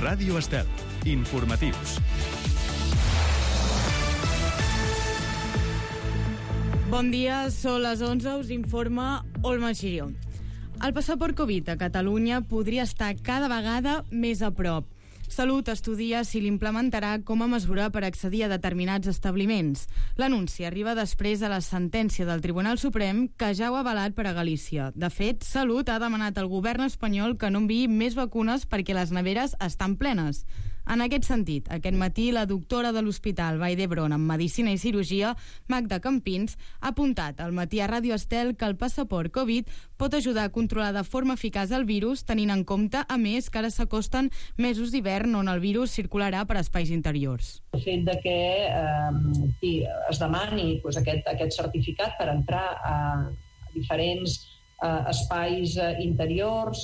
Ràdio Estel. Informatius. Bon dia, són les 11, us informa Olma Xirió. El passaport Covid a Catalunya podria estar cada vegada més a prop. Salut estudia si l'implementarà com a mesura per accedir a determinats establiments. L'anunci arriba després de la sentència del Tribunal Suprem que ja ho ha avalat per a Galícia. De fet, Salut ha demanat al govern espanyol que no enviï més vacunes perquè les neveres estan plenes. En aquest sentit, aquest matí la doctora de l'Hospital Vall d'Hebron en Medicina i Cirurgia, Magda Campins, ha apuntat al matí a Ràdio Estel que el passaport Covid pot ajudar a controlar de forma eficaç el virus, tenint en compte, a més, que ara s'acosten mesos d'hivern on el virus circularà per espais interiors. El fet de que es demani aquest certificat per entrar a diferents espais interiors,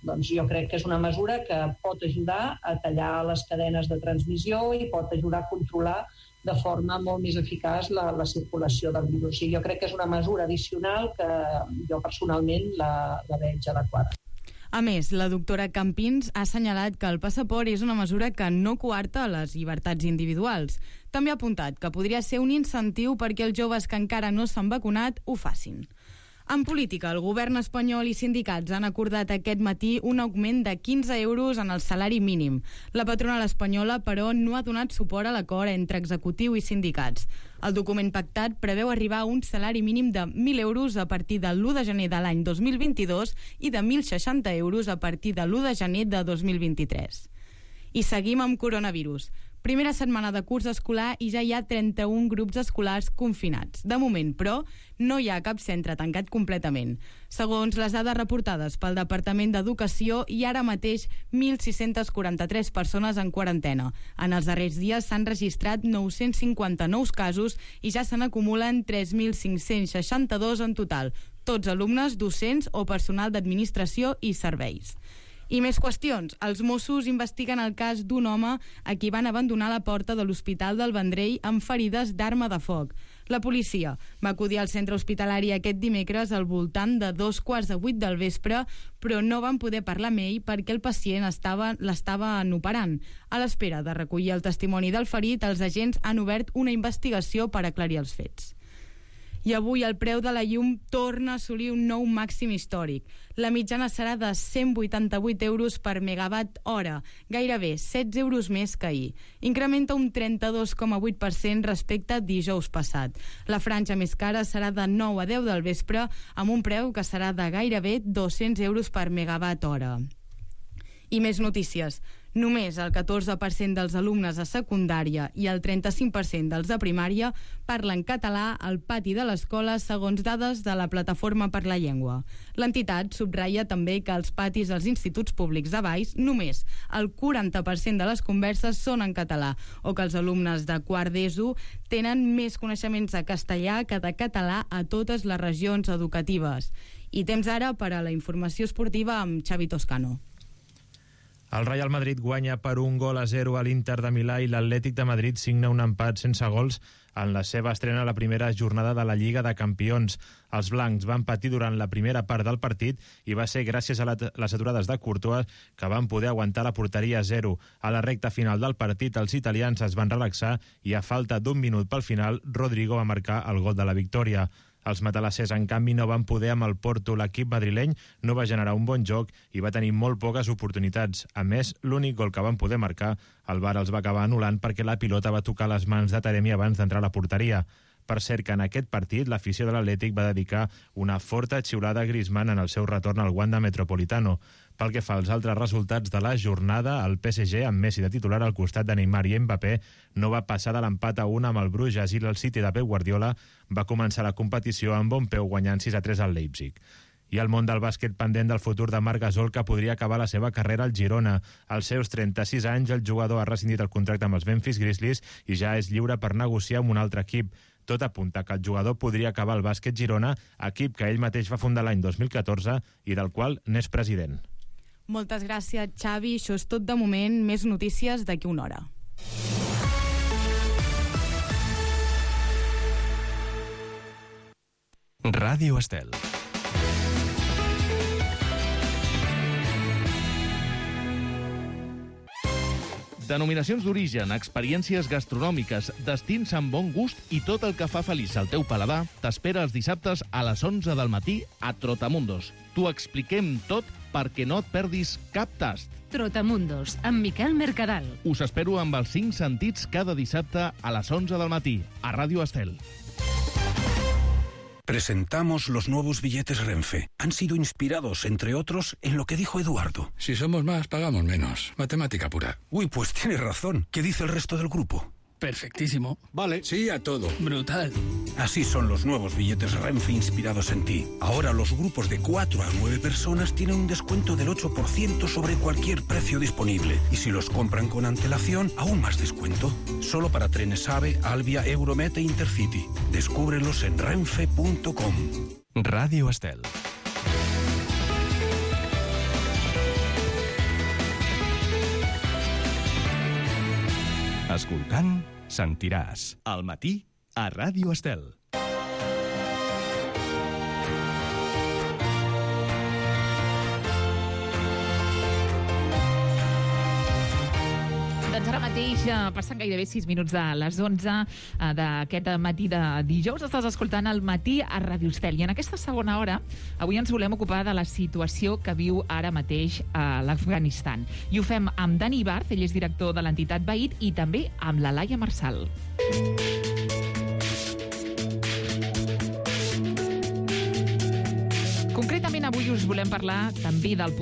doncs jo crec que és una mesura que pot ajudar a tallar les cadenes de transmissió i pot ajudar a controlar de forma molt més eficaç la circulació del virus. I jo crec que és una mesura addicional que jo personalment la veig adequada. A més, la doctora Campins ha assenyalat que el passaport és una mesura que no coarta les llibertats individuals. També ha apuntat que podria ser un incentiu perquè els joves que encara no s'han vacunat ho facin. En política, el govern espanyol i sindicats han acordat aquest matí un augment de 15 euros en el salari mínim. La patronal espanyola, però, no ha donat suport a l'acord entre executiu i sindicats. El document pactat preveu arribar a un salari mínim de 1.000 euros a partir de l'1 de gener de l'any 2022 i de 1.060 euros a partir de l'1 de gener de 2023. I seguim amb coronavirus. Primera setmana de curs escolar i ja hi ha 31 grups escolars confinats. De moment, però, no hi ha cap centre tancat completament. Segons les dades reportades pel Departament d'Educació, hi ha ara mateix 1.643 persones en quarantena. En els darrers dies s'han registrat 959 casos i ja se n'acumulen 3.562 en total, tots alumnes, docents o personal d'administració i serveis. I més qüestions. Els Mossos investiguen el cas d'un home a qui van abandonar la porta de l'Hospital del Vendrell amb ferides d'arma de foc. La policia va acudir al centre hospitalari aquest dimecres al voltant de 7:15 del vespre, però no van poder parlar amb ell perquè el pacient l'estaven operant. A l'espera de recollir el testimoni del ferit, els agents han obert una investigació per aclarir els fets. I avui el preu de la llum torna a assolir un nou màxim històric. La mitjana serà de 188 euros per megawatt hora, gairebé 16 euros més que ahir. Incrementa un 32,8% respecte a dijous passat. La franja més cara serà de 9 a 10 del vespre, amb un preu que serà de gairebé 200 euros per megawatt hora. I més notícies. Només el 14% dels alumnes de secundària i el 35% dels de primària parlen català al pati de l'escola segons dades de la Plataforma per la Llengua. L'entitat subratlla també que als patis dels instituts públics de Valls només el 40% de les converses són en català o que els alumnes de quart d'ESO tenen més coneixements de castellà que de català a totes les regions educatives. I temps ara per a la informació esportiva amb Xavi Toscano. El Real Madrid guanya per 1-0 a l'Inter de Milà i l'Atlètic de Madrid signa un empat sense gols en la seva estrena a la primera jornada de la Lliga de Campions. Els blancs van patir durant la primera part del partit i va ser gràcies a les aturades de Courtois que van poder aguantar la porteria a 0. A la recta final del partit, els italians es van relaxar i a falta d'un minut pel final, Rodrigo va marcar el gol de la victòria. Els matalassers, en canvi, no van poder amb el Porto. L'equip madrileny no va generar un bon joc i va tenir molt poques oportunitats. A més, l'únic gol que van poder marcar, el VAR els va acabar anul·lant perquè la pilota va tocar les mans de Taremi abans d'entrar a la porteria. Per cert que en aquest partit l'afició de l'Atlètic va dedicar una forta xiulada a Griezmann en el seu retorn al Wanda Metropolitano. Pel que fa als altres resultats de la jornada, el PSG, amb Messi de titular al costat de Neymar i Mbappé, no va passar de l'empat a 1 amb el Bruges i el City de Pep Guardiola va començar la competició amb bon peu guanyant 6-3 al Leipzig. I el món del bàsquet pendent del futur de Marc Gasol, que podria acabar la seva carrera al Girona. Als seus 36 anys, el jugador ha rescindit el contracte amb els Memphis Grizzlies i ja és lliure per negociar amb un altre equip. Tot apunta que el jugador podria acabar al Bàsquet Girona, equip que ell mateix va fundar l'any 2014 i del qual n'és president. Moltes gràcies, Xavi. Això és tot de moment. Més notícies d'aquí una hora. Ràdio Estel. Denominacions d'origen, experiències gastronòmiques, destins amb bon gust i tot el que fa feliç al teu paladar t'espera els dissabtes a les 11 del matí a Trotamundos. T'ho expliquem tot perquè no et perdis cap tast. Trotamundos, amb Miquel Mercadal. Us espero amb els 5 sentits cada dissabte a les 11 del matí a Ràdio Estel. Presentamos los nuevos billetes Renfe. Han sido inspirados, entre otros, en lo que dijo Eduardo. Si somos más, pagamos menos. Matemática pura. Uy, pues tiene razón. ¿Qué dice el resto del grupo? Perfectísimo. Vale. Sí a todo. Brutal. Así son los nuevos billetes Renfe inspirados en ti. Ahora los grupos de 4 a 9 personas tienen un descuento del 8% sobre cualquier precio disponible. Y si los compran con antelación, aún más descuento. Solo para trenes AVE, Alvia, Euromet e Intercity. Descúbrelos en renfe.com. Ràdio Estel. Escoltant, sentiràs. Al matí, a Ràdio Estel. Doncs ara mateix passen gairebé 6 minuts de les 11 d'aquest matí de dijous. Estàs escoltant el matí a Ràdio Estel. I en aquesta segona hora avui ens volem ocupar de la situació que viu ara mateix a l'Afganistan. I ho fem amb Dani Ibarz, ell és director de l'entitat Veït, i també amb la Laia Marsal. Concretament, avui us volem parlar també del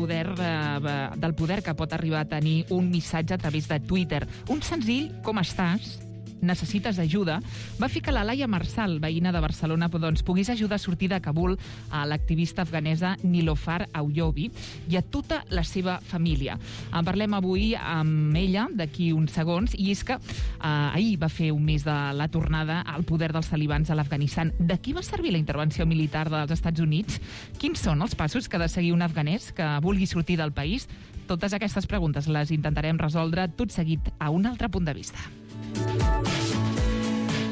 poder que pot arribar a tenir un missatge a través de Twitter. Un senzill "Com estàs? Necessites ajuda?" va fer que la Laia Marsal, veïna de Barcelona, doncs, pogués ajudar a sortir de Kabul a l'activista afganesa Nilofar Aouyobi i a tota la seva família. En parlem avui amb ella d'aquí uns segons, i és que ahir va fer un mes de la tornada al poder dels talibans a l'Afganistan. De qui va servir la intervenció militar dels Estats Units? Quins són els passos que ha de seguir un afganès que vulgui sortir del país? Totes aquestes preguntes les intentarem resoldre tot seguit a un altre punt de vista.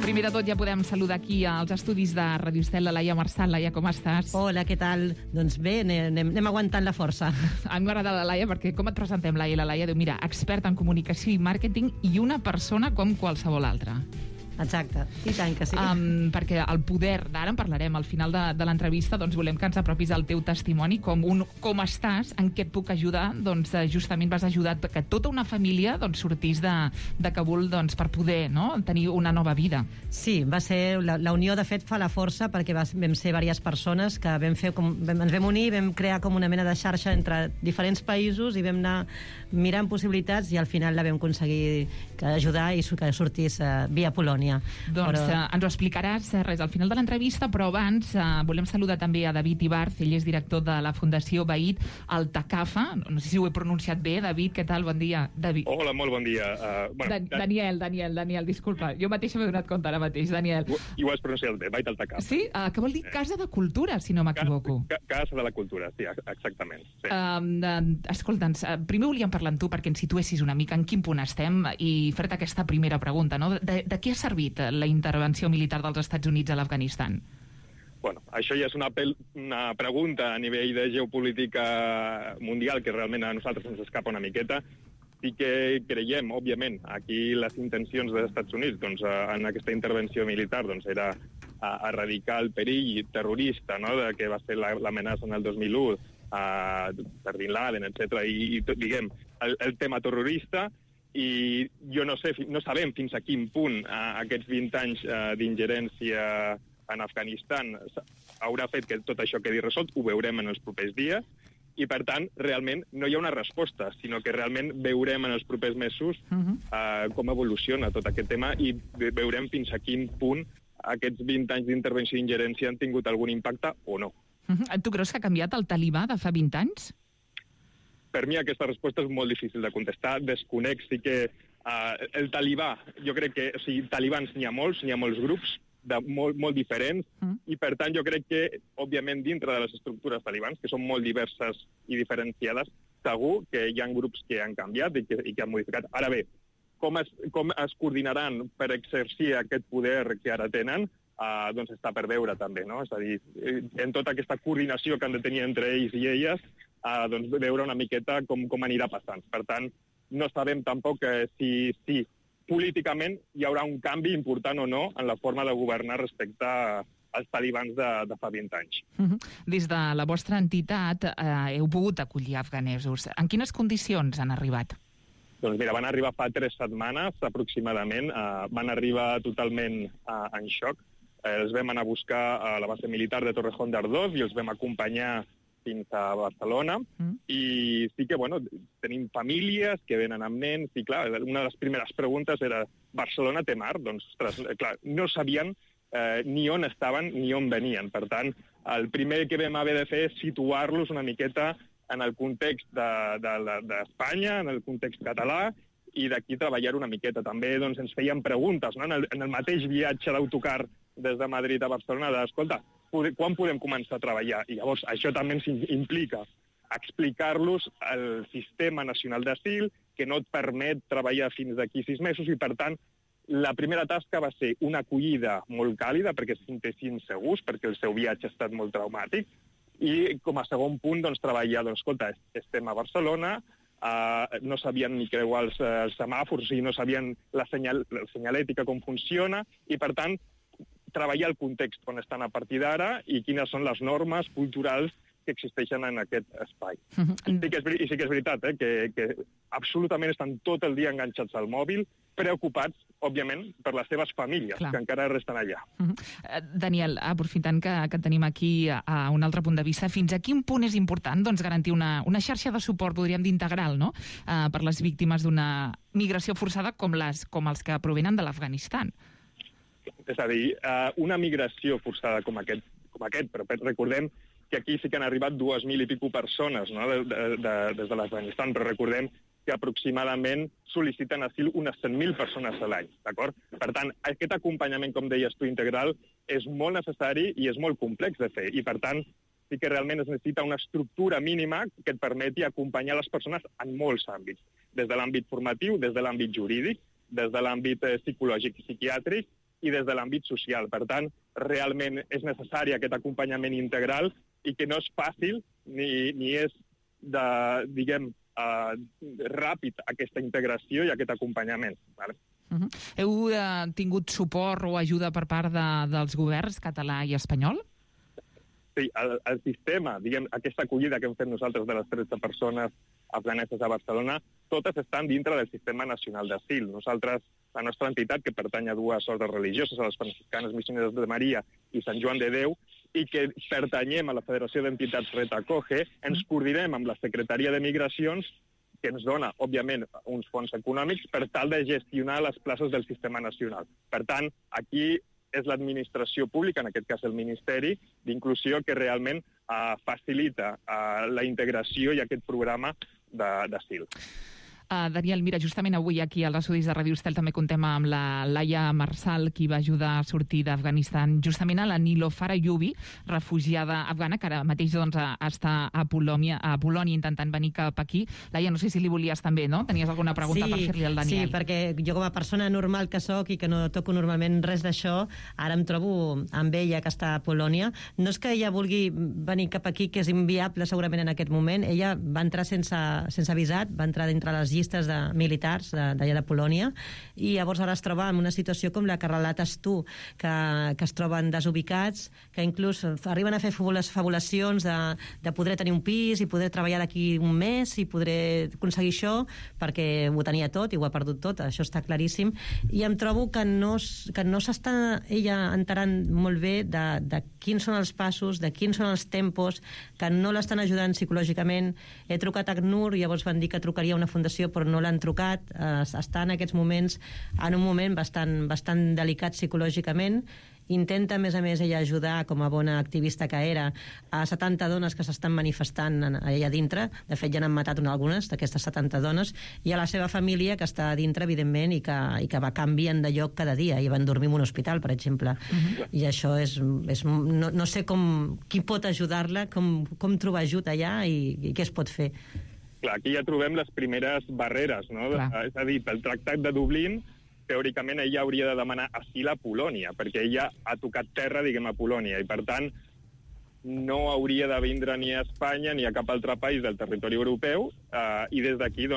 Primer de tot, ja podem saludar aquí als estudis de Ràdio Estel la Laia Marsal. Laia, com estàs? Hola, què tal? Doncs bé, anem aguantant la força. A mi m'agrada la Laia perquè com et presentem, Laia? La Laia diu, mira, experta en comunicació i màrqueting i una persona com qualsevol altra. Exacte, i tant que sí. Perquè el poder, d'ara en parlarem al final de l'entrevista, doncs volem que ens apropis el teu testimoni, com estàs, en què et puc ajudar. Doncs justament vas ajudar que tota una família sortís de Kabul per poder tenir una nova vida. Sí, va ser la unió, de fet, fa la força, perquè vam ser diverses persones que ens vam unir, vam crear com una mena de xarxa entre diferents països i vam anar mirant possibilitats i al final la vam aconseguir ajudar i que sortís via Polònia. Doncs ens ho explicaràs al final de l'entrevista, però abans volem saludar també a David Ibarz, ell és director de la Fundació Veït al Takafa. No sé si ho he pronunciat bé, David, què tal? Bon dia. David. Hola, molt bon dia. Daniel, disculpa, jo mateixa m'he donat compte ara mateix, Daniel. I ho has pronunciat bé, Veït al Takafa. Sí? Que vol dir Casa de Cultura, si no m'equivoco. Casa de la Cultura, sí, exactament. Sí. Escolta'ns, primer volíem parlar amb tu perquè ens situessis una mica en quin punt estem i fer-te aquesta primera pregunta, no? De què ha servit la intervenció militar dels Estats Units a l'Afganistan? Bueno, això ja és una pregunta a nivell de geopolítica mundial que realment a nosaltres ens escapa una miqueta. Sí que creiem, òbviament, aquí les intencions dels Estats Units en aquesta intervenció militar era erradicar el perill terrorista que va ser l'amenaça en el 2001 per Bin Laden, etc. I diguem, el tema terrorista. I no sabem fins a quin punt aquests 20 anys d'ingerència en Afganistan haurà fet que tot això quedi resolt. Ho veurem en els propers dies i, per tant, realment no hi ha una resposta, sinó que realment veurem en els propers mesos com evoluciona tot aquest tema i veurem fins a quin punt aquests 20 anys d'intervenció i ingerència han tingut algun impacte o no. Tu creus que ha canviat el talibà de fa 20 anys? Per mi aquesta resposta és molt difícil de contestar. Desconec, sí que el talibà, jo crec que, talibans n'hi ha molts grups molt diferents, i per tant jo crec que, òbviament, dintre de les estructures talibans, que són molt diverses i diferenciades, segur que hi ha grups que han canviat i que han modificat. Ara bé, com es coordinaran per exercir aquest poder que ara tenen, doncs està per veure també, no? És a dir, en tota aquesta coordinació que han de tenir entre ells i elles, doncs veure una miqueta com anirà passant. Per tant, no sabem tampoc si políticament hi haurà un canvi important o no en la forma de governar respecte als talibans de fa 20 anys. Des de la vostra entitat heu pogut acollir afganesos. En quines condicions han arribat? Doncs mira, van arribar fa 3 setmanes aproximadament, van arribar totalment en xoc. Els vam anar a buscar a la base militar de Torrejón de Ardoz i els vam acompanyar fins a Barcelona. I sí que, tenim famílies que venen amb nens i, clar, una de les primeres preguntes era Barcelona té mar? Doncs, ostres, clar, no sabien ni on estaven ni on venien. Per tant, el primer que vam haver de fer és situar-los una miqueta en el context d'Espanya, en el context català, i d'aquí treballar una miqueta. També ens feien preguntes, no? En el mateix viatge d'autocar des de Madrid a Barcelona, d'escolta, quan podem començar a treballar? I llavors això també ens implica explicar-los el sistema nacional d'asil, que no et permet treballar fins d'aquí 6 mesos, i per tant, la primera tasca va ser una acollida molt càlida perquè se sentessin segurs, perquè el seu viatge ha estat molt traumàtic, i com a segon punt, treballar, escolta, estem a Barcelona, no sabien ni creuar els semàfors, no sabien la senyalètica com funciona, i per tant, treballar el context on estan a partir d'ara i quines són les normes culturals que existeixen en aquest espai. I sí que és veritat, que absolutament estan tot el dia enganxats al mòbil, preocupats, òbviament, per les seves famílies, que encara resten allà. Daniel, aprofitant que tenim aquí a un altre punt de vista, fins a quin punt és important garantir una xarxa de suport, podríem dir, integral, no?, per les víctimes d'una migració forçada com els que provenen de l'Afganistan? És a dir, una migració forçada com aquest, però recordem que aquí sí que han arribat 2.000 i pico persones, no?, des de l'Afganistan, però recordem que aproximadament sol·liciten asil unes 100.000 persones a l'any, d'acord? Per tant, aquest acompanyament, com deies tu, integral, és molt necessari i és molt complex de fer, i per tant, sí que realment es necessita una estructura mínima que et permeti acompanyar les persones en molts àmbits, des de l'àmbit formatiu, des de l'àmbit jurídic, des de l'àmbit psicològic i psiquiàtric i des de l'àmbit social. Per tant, realment és necessari aquest acompanyament integral i que no és fàcil ni és ràpid aquesta integració i aquest acompanyament. Heu tingut suport o ajuda per part dels governs català i espanyol? Sí, el sistema, aquesta acollida que hem fet nosaltres de les 13 persones afganeses a Barcelona, totes estan dintre del sistema nacional d'asil. Nosaltres, la nostra entitat, que pertany a 2 ordes religioses, a les franciscanes missioneres de Maria i Sant Joan de Déu, i que pertanyem a la Federació d'Entitats Retacoge, ens coordinem amb la Secretaria de Migracions, que ens dona, òbviament, uns fons econòmics per tal de gestionar les places del sistema nacional. Per tant, aquí és l'administració pública, en aquest cas el Ministeri d'Inclusió, que realment facilita la integració i aquest programa d'asil. Daniel, mira, justament avui aquí als estudis de Ràdio Estel també contem amb la Laia Marsal, qui va ajudar a sortir d'Afganistan, justament a la Nilofar Ayubi, refugiada afgana, que ara mateix està a Polònia intentant venir cap aquí. Laia, no sé si li volies també, no? Tenies alguna pregunta per fer-li al Daniel? Sí, perquè jo com a persona normal que soc i que no toco normalment res d'això, ara em trobo amb ella que està a Polònia. No és que ella vulgui venir cap aquí, que és inviable segurament en aquest moment. Ella va entrar sense visat, va entrar dintre les llistes de militars d'allà de Polònia, i llavors ara es troba en una situació com la que relates tu, que es troben desubicats, que inclús arriben a fer fabulacions de poder tenir un pis i poder treballar d'aquí un mes i poder aconseguir això, perquè ho tenia tot i ho ha perdut tot, això està claríssim, i em trobo que no s'està ella enterant molt bé de quins són els passos, de quins són els tempos, que no l'estan ajudant psicològicament. He trucat a ACNUR i llavors van dir que trucaria a una fundació, però no l'han trucat. Està en aquests moments en un moment bastant delicat psicològicament. Intenta, a més, ella ajudar, com a bona activista que era, a 70 dones que s'estan manifestant allà dintre. De fet, ja n'han matat algunes d'aquestes 70 dones, i a la seva família, que està dintre, evidentment, i que va canviant de lloc cada dia, i van dormir en un hospital, per exemple. I això és no sé qui pot ajudar-la, com trobar ajut allà i què es pot fer. Clar, aquí ja trobem les primeres barreres, no? És a dir, pel Tractat de Dublín, teòricament ella hauria de demanar asil a Polònia, perquè ella ha tocat terra, a Polònia, i per tant no hauria de vindre ni a Espanya ni a cap altre país del territori europeu, i des d'aquí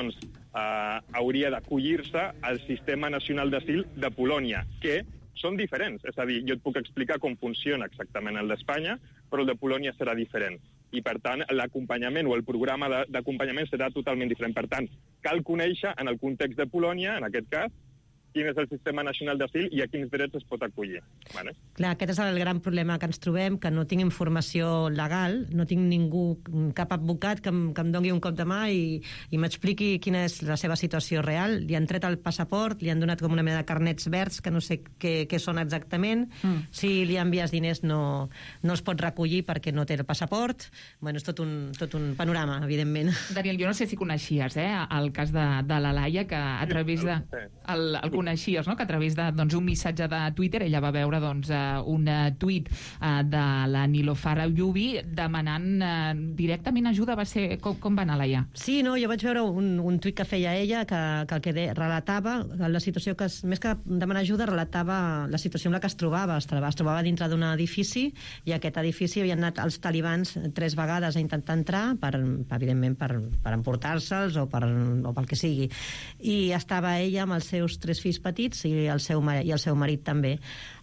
hauria d'acollir-se al Sistema Nacional d'Asil de Polònia, que són diferents. És a dir, jo et puc explicar com funciona exactament el d'Espanya, però el de Polònia serà diferent. I, per tant, l'acompanyament o el programa d'acompanyament serà totalment diferent. Per tant, cal conèixer, en el context de Polònia, en aquest cas, quin és el Sistema Nacional d'Asil i a quins drets es pot acollir. Vale? Clar, aquest és el gran problema que ens trobem, que no tinc informació legal, no tinc ningú, cap advocat que em doni un cop de mà i m'expliqui quina és la seva situació real. Li han tret el passaport, li han donat com una mena de carnets verds, que no sé què són exactament. Si li envies diners no els pot recollir perquè no té el passaport. Bueno, és tot un panorama, evidentment. Daniel, jo no sé si coneixies el cas de la Laia, que a través de... El coneixies, no? Que a través d'un missatge de Twitter ella va veure un tuit de la Nilofar Ayubi demanant directament ajuda. Va ser... Com va anar, Laia? Sí, no, jo vaig veure un tuit que feia ella que el que relatava la situació, que més que demanar ajuda, relatava la situació en la que es trobava. Es trobava dintre d'un edifici i a aquest edifici havien anat els talibans 3 vegades a intentar entrar, evidentment per emportar-se'ls o pel que sigui. I estava ella amb els seus 3 fills petits i el seu marit també.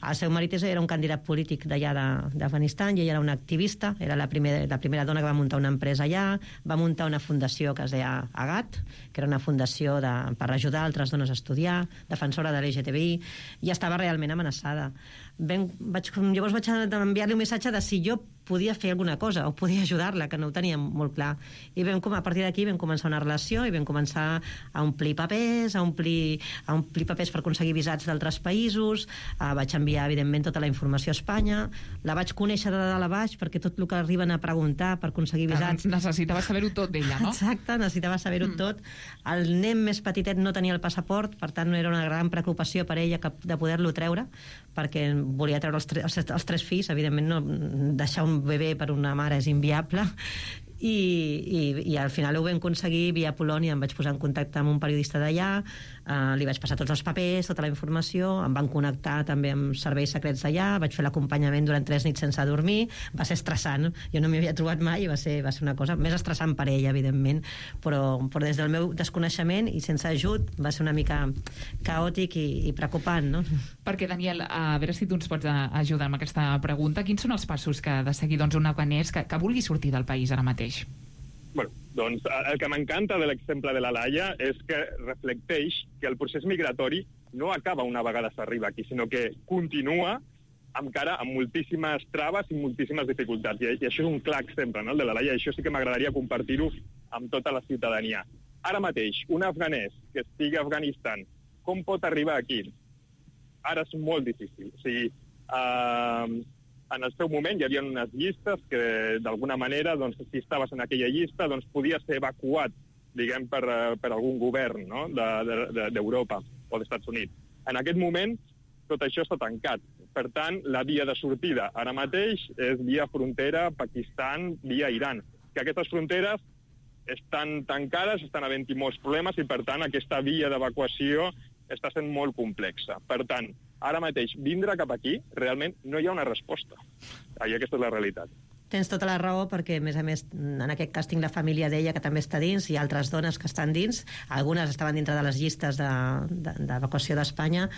El seu marit era un candidat polític d'allà d'Afganistan i ella era una activista, era la primera dona que va muntar una empresa allà, va muntar una fundació que es deia Agat, que era una fundació per ajudar altres dones a estudiar, defensora de l'LGTBI, i estava realment amenaçada. Llavors vaig enviar-li un missatge de si jo podia fer alguna cosa o podia ajudar-la, que no ho teníem molt clar. I a partir d'aquí vam començar una relació i vam començar a omplir papers, per aconseguir visats d'altres països. Vaig enviar, evidentment, tota la informació a Espanya. La vaig conèixer de dalt a baix, perquè tot el que arriben a preguntar per aconseguir visats... Necessitava saber-ho tot d'ella, no? Exacte, necessitava saber-ho tot. El nen més petitet no tenia el passaport, per tant era una gran preocupació per ella de poder-lo treure, perquè volia treure els 3 fills. Evidentment, no deixar un bebè per una mare és inviable. I al final ho vam aconseguir via Polònia. Em vaig posar en contacte amb un periodista d'allà, li vaig passar tots els papers, tota la informació, em van connectar també amb serveis secrets d'allà, vaig fer l'acompanyament durant 3 nits sense dormir. Va ser estressant, jo no m'hi havia trobat mai i va ser una cosa més estressant per ella, evidentment, però des del meu desconeixement i sense ajut va ser una mica caòtic i preocupant, no? Perquè, Daniel, a veure si tu ens pots ajudar amb aquesta pregunta. Quins són els passos que ha de seguir un afganès que vulgui sortir del país ara mateix? Bueno, doncs el que m'encanta de l'exemple de la Laia és que reflecteix que el procés migratori no acaba una vegada s'arriba aquí, sinó que continua encara amb moltíssimes traves i moltíssimes dificultats. I això és un clar exemple, no, el de la Laia, i això sí que m'agradaria compartir-ho amb tota la ciutadania. Ara mateix, un afganès que estigui a Afganistan, com pot arribar aquí? Ara és molt difícil. O sigui, en el seu moment hi havia unes llistes que, d'alguna manera, doncs, si estaves en aquella llista, doncs, podies ser evacuat, diguem, per algun govern, no?, d'Europa o dels Estats Units. En aquest moment, tot això està tancat. Per tant, la via de sortida ara mateix és via frontera Pakistan, via Iran. Que aquestes fronteres estan tancades, estan havent-hi molts problemes i, per tant, aquesta via d'evacuació està sent molt complexa. Per tant, ara mateix, vindre cap aquí, realment no hi ha una resposta. I aquesta és la realitat. Tens tota la raó, perquè, a més, en aquest cas tinc la família d'ella, que també està dins, i altres dones que estan dins. Algunes estaven dintre de les llistes d'evacuació d'Espanya,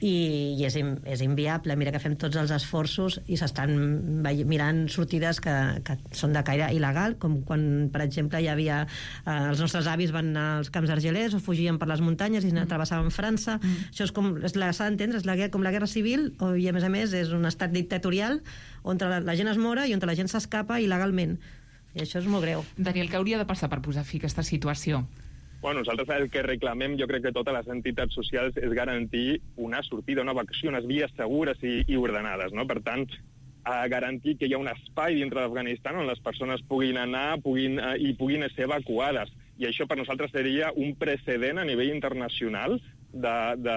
i és inviable. Mira que fem tots els esforços i s'estan mirant sortides que són de caire il·legal, com quan, per exemple, hi havia... els nostres avis van anar als camps argelers o fugien per les muntanyes i travessaven França. Això s'ha d'entendre, és com la guerra civil, i, a més, és un estat dictatorial on la gent es mora i on la gent s'escapa il·legalment. I això és molt greu. Daniel, què hauria de passar per posar fi a aquesta situació? Bueno, nosaltres el que reclamem, jo crec que totes les entitats socials, és garantir una sortida, una evacuació, unes vies segures i ordenades, no? Per tant, garantir que hi ha un espai dintre d'Afganistan on les persones puguin anar i puguin ser evacuades. I això per nosaltres seria un precedent a nivell internacional de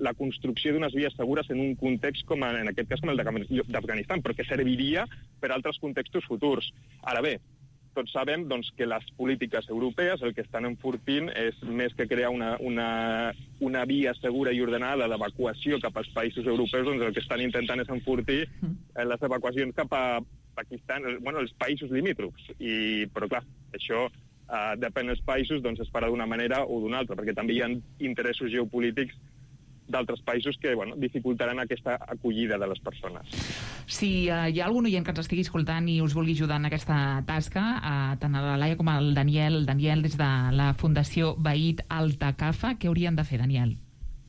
la construcció d'unes vies segures en un context com en aquest cas com el d'Afganistan, però que serviria per altres contextos futurs. Ara bé, tots sabem doncs, que les polítiques europees el que estan enfortint és més que crear una via segura i ordenada d'evacuació cap als països europeus, doncs el que estan intentant és enfortir les evacuacions cap a Pakistan, els països limítrofs. Però clar, això depèn dels països, doncs es farà d'una manera o d'una altra, perquè també hi ha interessos geopolítics d'altres països que dificultaran aquesta acollida de les persones. Si hi ha algun oient que ens estigui escoltant i us vulgui ajudar en aquesta tasca, tant a la Laia com al Daniel des de la Fundació Vahid Altacafa, què haurien de fer, Daniel?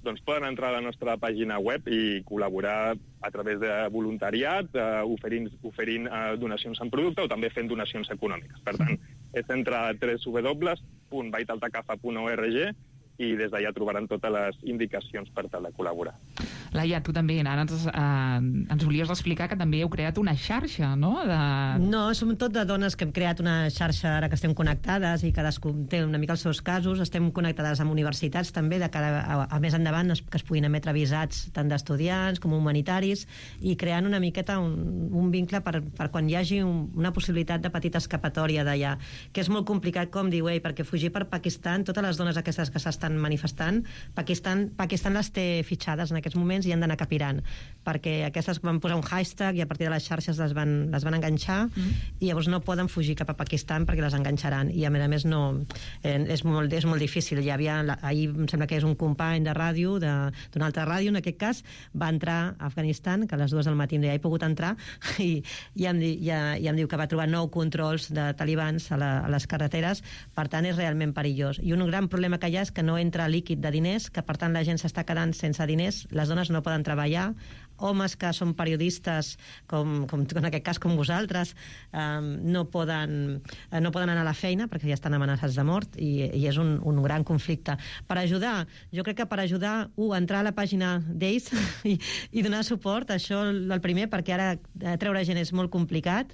Doncs poden entrar a la nostra pàgina web i col·laborar a través de voluntariat, oferint donacions en producte o també fent donacions econòmiques. Per tant, és entrar a www.vahidaltacafa.org i des d'allà trobaran totes les indicacions per tal de col·laborar. Laia, tu també ara ens volies explicar que també heu creat una xarxa, no? No, som tot de dones que hem creat una xarxa ara que estem connectades i cadascú té una mica els seus casos. Estem connectades amb universitats també de cara a més endavant que es puguin emetre visats tant d'estudiants com humanitaris i creant una miqueta un vincle per quan hi hagi una possibilitat de petita escapatòria d'allà, que és molt complicat, com diu ell, perquè fugir per Pakistan, totes les dones aquestes que s'estan manifestant, Pakistan les té fitxades en aquests moments i han d'anar capirant, perquè aquestes van posar un hashtag i a partir de les xarxes les van enganxar i llavors no poden fugir cap a Pakistan perquè les enganxaran i a més no, és molt difícil. Ahir em sembla que és un company de ràdio, d'una altra ràdio en aquest cas, va entrar a Afganistan, que a les 2 del matí ja he pogut entrar i em diu que va trobar 9 controls de talibans a les carreteres, per tant és realment perillós. I un gran problema que hi ha és que no entra líquid de diners, que per tant la gent s'està quedant sense diners, les dones no poden treballar, homes que són periodistes, com en aquest cas com vosaltres, no poden anar a la feina perquè ja estan amenaçats de mort i és un gran conflicte. Per ajudar, jo crec que per ajudar, entrar a la pàgina d'ells i donar suport, això el primer, perquè ara treure gent és molt complicat,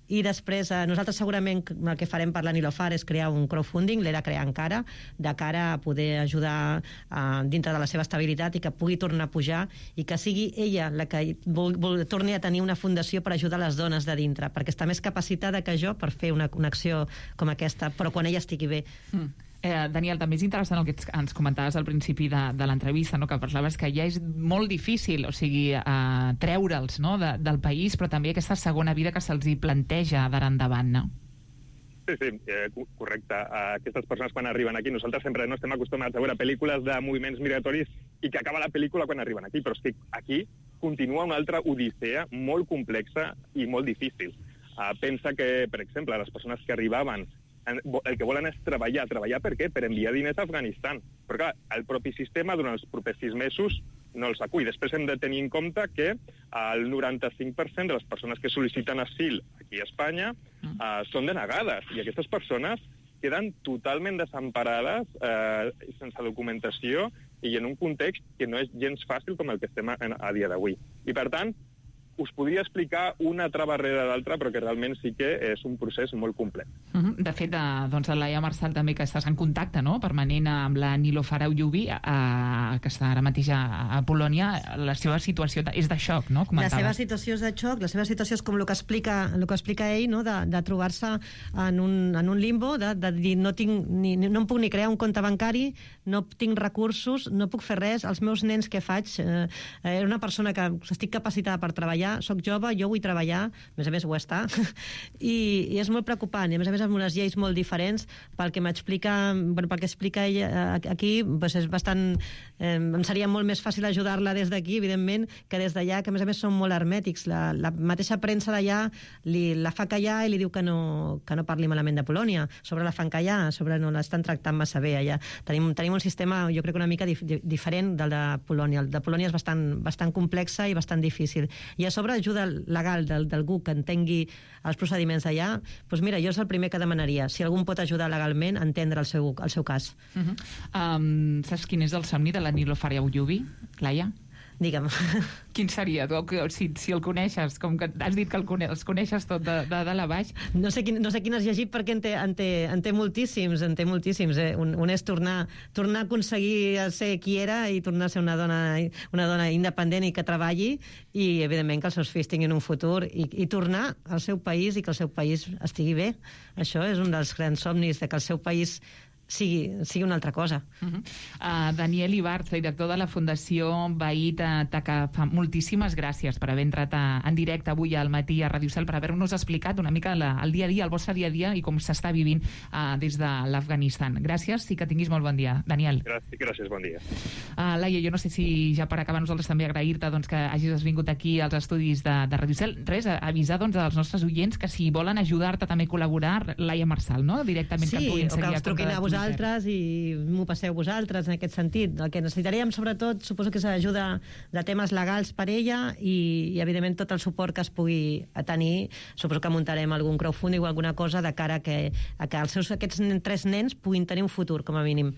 i després nosaltres segurament el que farem per la Nilofar és crear un crowdfunding, l'era crear encara, de cara a poder ajudar dintre de la seva estabilitat i que pugui tornar a pujar i que sigui ella la que torni a tenir una fundació per ajudar les dones de dintre, perquè està més capacitada que jo per fer una acció com aquesta, però quan ella estigui bé. Daniel, també és interessant el que ens comentaves al principi de l'entrevista, no? Que parlaves que ja és molt difícil, o sigui, treure'ls, no? del país, però també aquesta segona vida que se'ls hi planteja d'ara endavant, no? Sí, correcte. Aquestes persones quan arriben aquí, nosaltres sempre no estem acostumats a veure pel·lícules de moviments migratoris i que acaba la pel·lícula quan arriben aquí, però és que aquí continua una altra odissea molt complexa i molt difícil. Pensa que, per exemple, les persones que arribaven el que volen és treballar. Treballar per què? Per enviar diners a Afganistan. Però clar, el propi sistema durant els propers 6 mesos no els acull. Després hem de tenir en compte que el 95% de les persones que sol·liciten asil aquí a Espanya són denegades. I aquestes persones queden totalment desemparades, sense documentació i en un context que no és gens fàcil com el que estem a dia d'avui. I per tant, us podria explicar una trava darrere l'altra, però que realment sí que és un procés molt complex. De fet, doncs, Laia Marçal també, que estàs en contacte permanent amb la Nilofar Ayoub, que està ara mateix a Polònia, la seva situació és de xoc, no? La seva situació és de xoc, la seva situació és com el que explica ell, no? De trobar-se en un limbo, de dir no em puc ni crear un compte bancari, no tinc recursos, no puc fer res, els meus nens què faig? Era una persona que estic capacitada per treballar, soc jove, jo vull treballar, a més ho està, i és molt preocupant, i a més amb unes lleis molt diferents, pel que explica ella aquí, doncs és bastant... Em seria molt més fàcil ajudar-la des d'aquí, evidentment, que des d'allà, que a més són molt hermètics. La mateixa premsa d'allà la fa callar i li diu que no parli malament de Polònia. Sobre la fan callar, sobre no l'estan tractant massa bé allà. Tenim un sistema, jo crec, una mica diferent del de Polònia. El de Polònia és bastant complexa i bastant difícil. I a sobre ajuda legal d'algú que entengui els procediments d'allà, doncs mira, jo és el primer que demanaria. Si algú pot ajudar legalment a entendre el seu cas. Saps quin és el somni de la Nilofar Ayoub, Laia? Digue'm. Quin seria? Si el coneixes, com que has dit que els coneixes tot de dalt a baix. No sé quin has llegit perquè en té moltíssims. Un és tornar a aconseguir ser qui era i tornar a ser una dona independent i que treballi i, evidentment, que els seus fills tinguin un futur i tornar al seu país i que el seu país estigui bé. Això és un dels grans somnis, de que el seu país sigui una altra cosa. Daniel Ibarz, director de la Fundació Veí Taca, moltíssimes gràcies per haver entrat en directe avui al matí a Ràdio Cel, per haver-nos explicat una mica el dia a dia, el vostre dia a dia i com s'està vivint des de l'Afganistan. Gràcies i que tinguis molt bon dia, Daniel. Gràcies, bon dia. Laia, jo no sé si ja per acabar nosaltres també agrair-te que hagis vingut aquí als estudis de Ràdio Cel. Res, avisar als nostres oients que si volen ajudar-te també a col·laborar, Laia Marsal, no? Directament que et puguin seguir a compte de Twitter. Vosaltres i m'ho passeu vosaltres en aquest sentit. El que necessitaríem sobretot suposo que és ajuda de temes legals per ella i evidentment tot el suport que es pugui tenir. Suposo que muntarem algun crowdfunding o alguna cosa de cara a que aquests 3 nens puguin tenir un futur, com a mínim.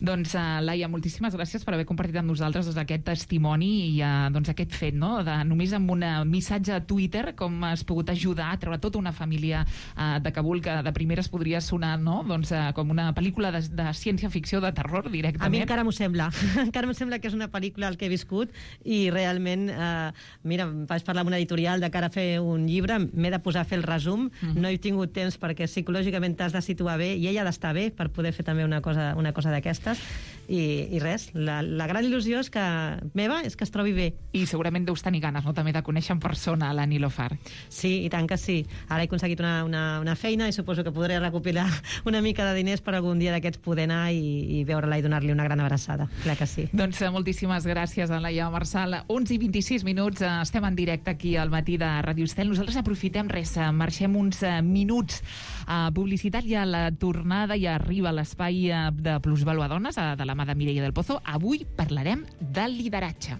Doncs, Laia, moltíssimes gràcies per haver compartit amb nosaltres aquest testimoni i aquest fet, no? Només amb un missatge a Twitter com has pogut ajudar a treure tota una família de Kabul, que de primeres podria sonar, no? Com una pel·lícula de ciència-ficció, de terror, directament. A mi encara m'ho sembla. Encara m'ho sembla que és una pel·lícula el que he viscut i realment, mira, vaig parlar amb una editorial de cara a fer un llibre, m'he de posar a fer el resum, no he tingut temps perquè psicològicament t'has de situar bé i ella ha d'estar bé per poder fer també una cosa d'aquestes i res, la gran il·lusió és meva és que es trobi bé. I segurament deus tenir ganes, no?, també de conèixer en persona la Nilofar. Sí, i tant que sí. Ara he aconseguit una feina i suposo que podré recopilar una mica de diners per algun dia d'aquests poder anar i veure-la i donar-li una gran abraçada. Clar que sí. Doncs moltíssimes gràcies a Laia Marsal. 11:26, estem en directe aquí al matí de Ràdio Estel. Nosaltres aprofitem marxem uns minuts a publicitat i a la tornada i arriba a l'espai de Plusvalua Dones, de la mà de Mireia del Pozo. Avui parlarem del lideratge.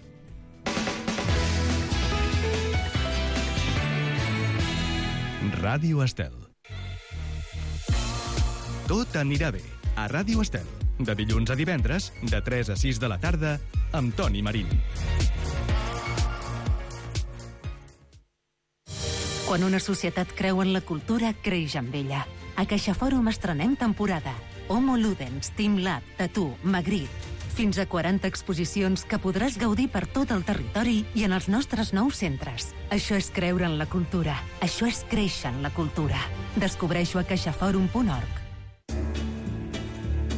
Ràdio Estel. Tot anirà bé a Ràdio Estel. De dilluns a divendres, de 3 a 6 de la tarda, amb Toni Marín. Quan una societat creu en la cultura, creix amb ella. A CaixaForum estrenem temporada. Homo Ludens, Team Lab, Tattoo, Magritte. Fins a 40 exposicions que podràs gaudir per tot el territori i en els nostres nous centres. Això és creure en la cultura. Això és créixer en la cultura. Descobreixo a caixaforum.org.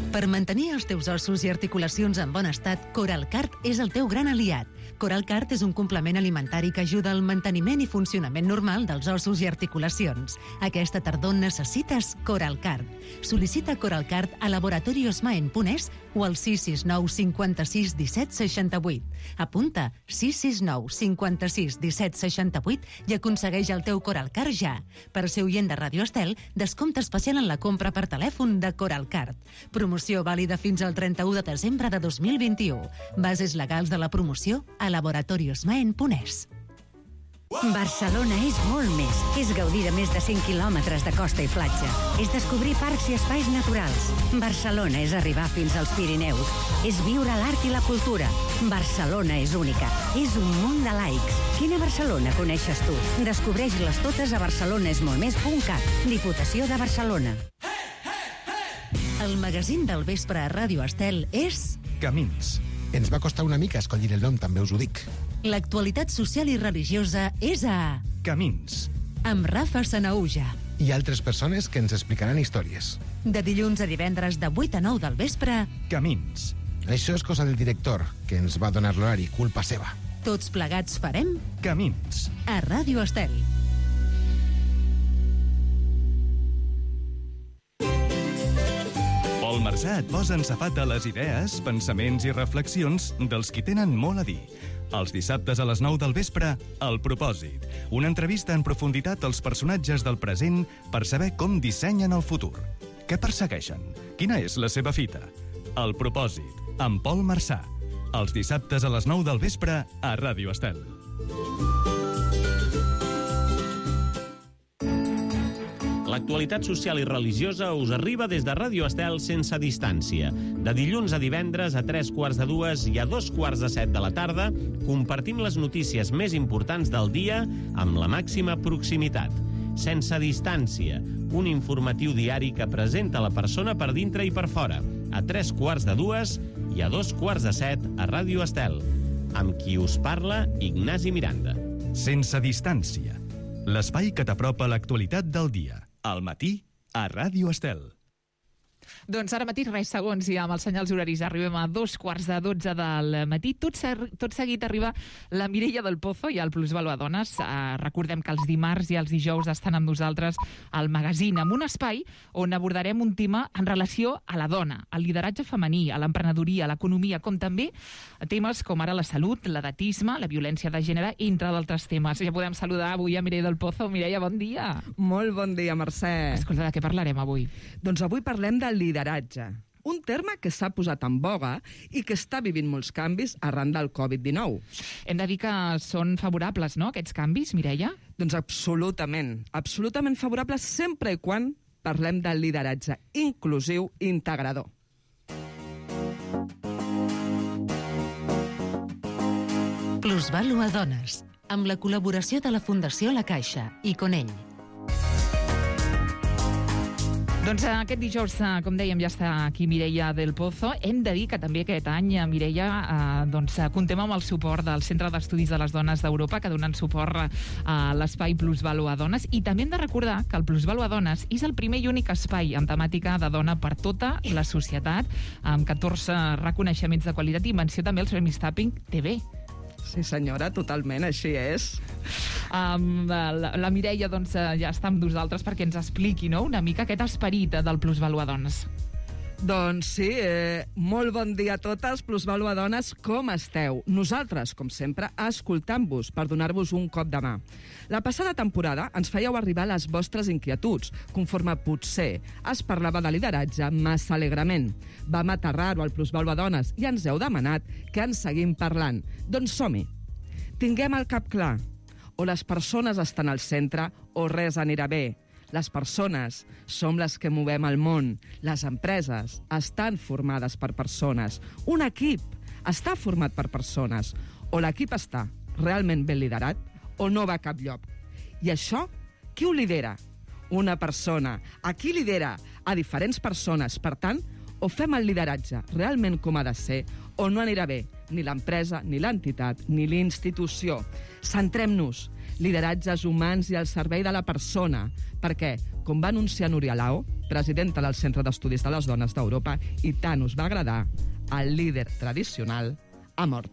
Per mantenir els teus ossos i articulacions en bon estat, Coralcart és el teu gran aliat. Coralcart és un complement alimentari que ajuda al manteniment i funcionament normal dels ossos i articulacions. Aquesta tardor necessites Coralcart. Sol·licita Coralcart a laboratoriosmaen.es o al 669 56 17 68. Apunta 669 56 17 68 i aconsegueix el teu Coralcart ja. Per ser oient de Ràdio Estel, descompte especial en la compra per telèfon de Coralcart. Promoció vàlida fins al 31 de desembre de 2021. Bases legals de la promoció a laboratoriosmaen.es. Barcelona és molt més. És gaudir de més de 100 quilòmetres de costa i platja. És descobrir parcs i espais naturals. Barcelona és arribar fins als Pirineus. És viure l'art i la cultura. Barcelona és única. És un munt de laics. Quina Barcelona coneixes tu? Descobreix-les totes a barcelonesmoltmés.cat. Diputació de Barcelona. El magazín del vespre a Ràdio Estel és... Camins. Ens va costar una mica escollir el nom, també us ho dic. L'actualitat social i religiosa és a... Camins. Amb Rafa Sanaúja. I altres persones que ens explicaran històries. De dilluns a divendres de 8 a 9 del vespre... Camins. Això és cosa del director, que ens va donar l'horari, culpa seva. Tots plegats farem... Camins. A Ràdio Estel. Pol Marsà et posa en safata les idees, pensaments i reflexions dels qui tenen molt a dir. Els dissabtes a les 9 del vespre, El Propòsit. Una entrevista en profunditat als personatges del present per saber com dissenyen el futur. Què persegueixen? Quina és la seva fita? El Propòsit, amb Pol Marsà. Els dissabtes a les 9 del vespre a Ràdio Estel. L'actualitat social i religiosa us arriba des de Ràdio Estel sense distància. De dilluns a divendres a 3:45 i a 2:45 de la tarda compartim les notícies més importants del dia amb la màxima proximitat. Sense distància, un informatiu diari que presenta la persona per dintre i per fora, a 3:45 i a 2:45 a Ràdio Estel. Amb qui us parla, Ignasi Miranda. Sense distància, l'espai que t'apropa l'actualitat del dia. Al matí, a Ràdio Estel. Doncs ara mateix, res segons, i amb els senyals horaris arribem a 2:15 del matí. Tot seguit arriba la Mireia del Pozo i el Plusvalua Dones. Recordem que els dimarts i els dijous estan amb nosaltres al magazín, amb un espai on abordarem un tema en relació a la dona, al lideratge femení, a l'emprenedoria, a l'economia, com també temes com ara la salut, l'edatisme, la violència de gènere, entre d'altres temes. Ja podem saludar avui a Mireia del Pozo. Mireia, bon dia. Molt bon dia, Mercè. Escolta, de què parlarem avui? Doncs avui parlem del lideratge, un terme que s'ha posat en boga i que està vivint molts canvis arran del Covid-19. Hem de dir que són favorables, no?, aquests canvis, Mireia? Doncs absolutament favorables sempre i quan parlem del lideratge inclusiu i integrador. Plusvalua Dones, amb la col·laboració de la Fundació La Caixa i Conell. Doncs aquest dijous, com dèiem, ja està aquí Mireia del Pozo. Hem de dir que també aquest any, Mireia, comptem amb el suport del Centre d'Estudis de les Dones d'Europa, que donen suport a l'espai Plusvalua Dones. I també hem de recordar que el Plusvalua Dones és el primer i únic espai amb temàtica de dona per tota la societat, amb 14 reconeixements de qualitat i menció també als Premis Tapping TV. Sí, senyora, totalment, així és. La Mireia ja està amb nosaltres perquè ens expliqui, no?, una mica aquest esperit del Plusvalua Dones. Doncs sí, molt bon dia a totes, Plusvalua Dones, com esteu? Nosaltres, com sempre, escoltant-vos per donar-vos un cop de mà. La passada temporada ens fèieu arribar les vostres inquietuds, conforme potser es parlava de lideratge massa alegrement. Vam aterrar-ho al Plusvalua Dones i ens heu demanat que en seguim parlant. Doncs som-hi. Tinguem el cap clar. O les persones estan al centre o res anirà bé. Les persones som les que movem el món. Les empreses estan formades per persones. Un equip està format per persones. O l'equip està realment ben liderat o no va a cap lloc. I això, qui ho lidera? Una persona. A qui lidera? A diferents persones. Per tant, o fem el lideratge realment com ha de ser o no anirà bé ni l'empresa, ni l'entitat, ni l'institució. Centrem-nos. Lideratges humans i al servei de la persona, perquè, com va anunciar Núria Lao, presidenta del Centre d'Estudis de les Dones d'Europa, i tant us va agradar, el líder tradicional ha mort.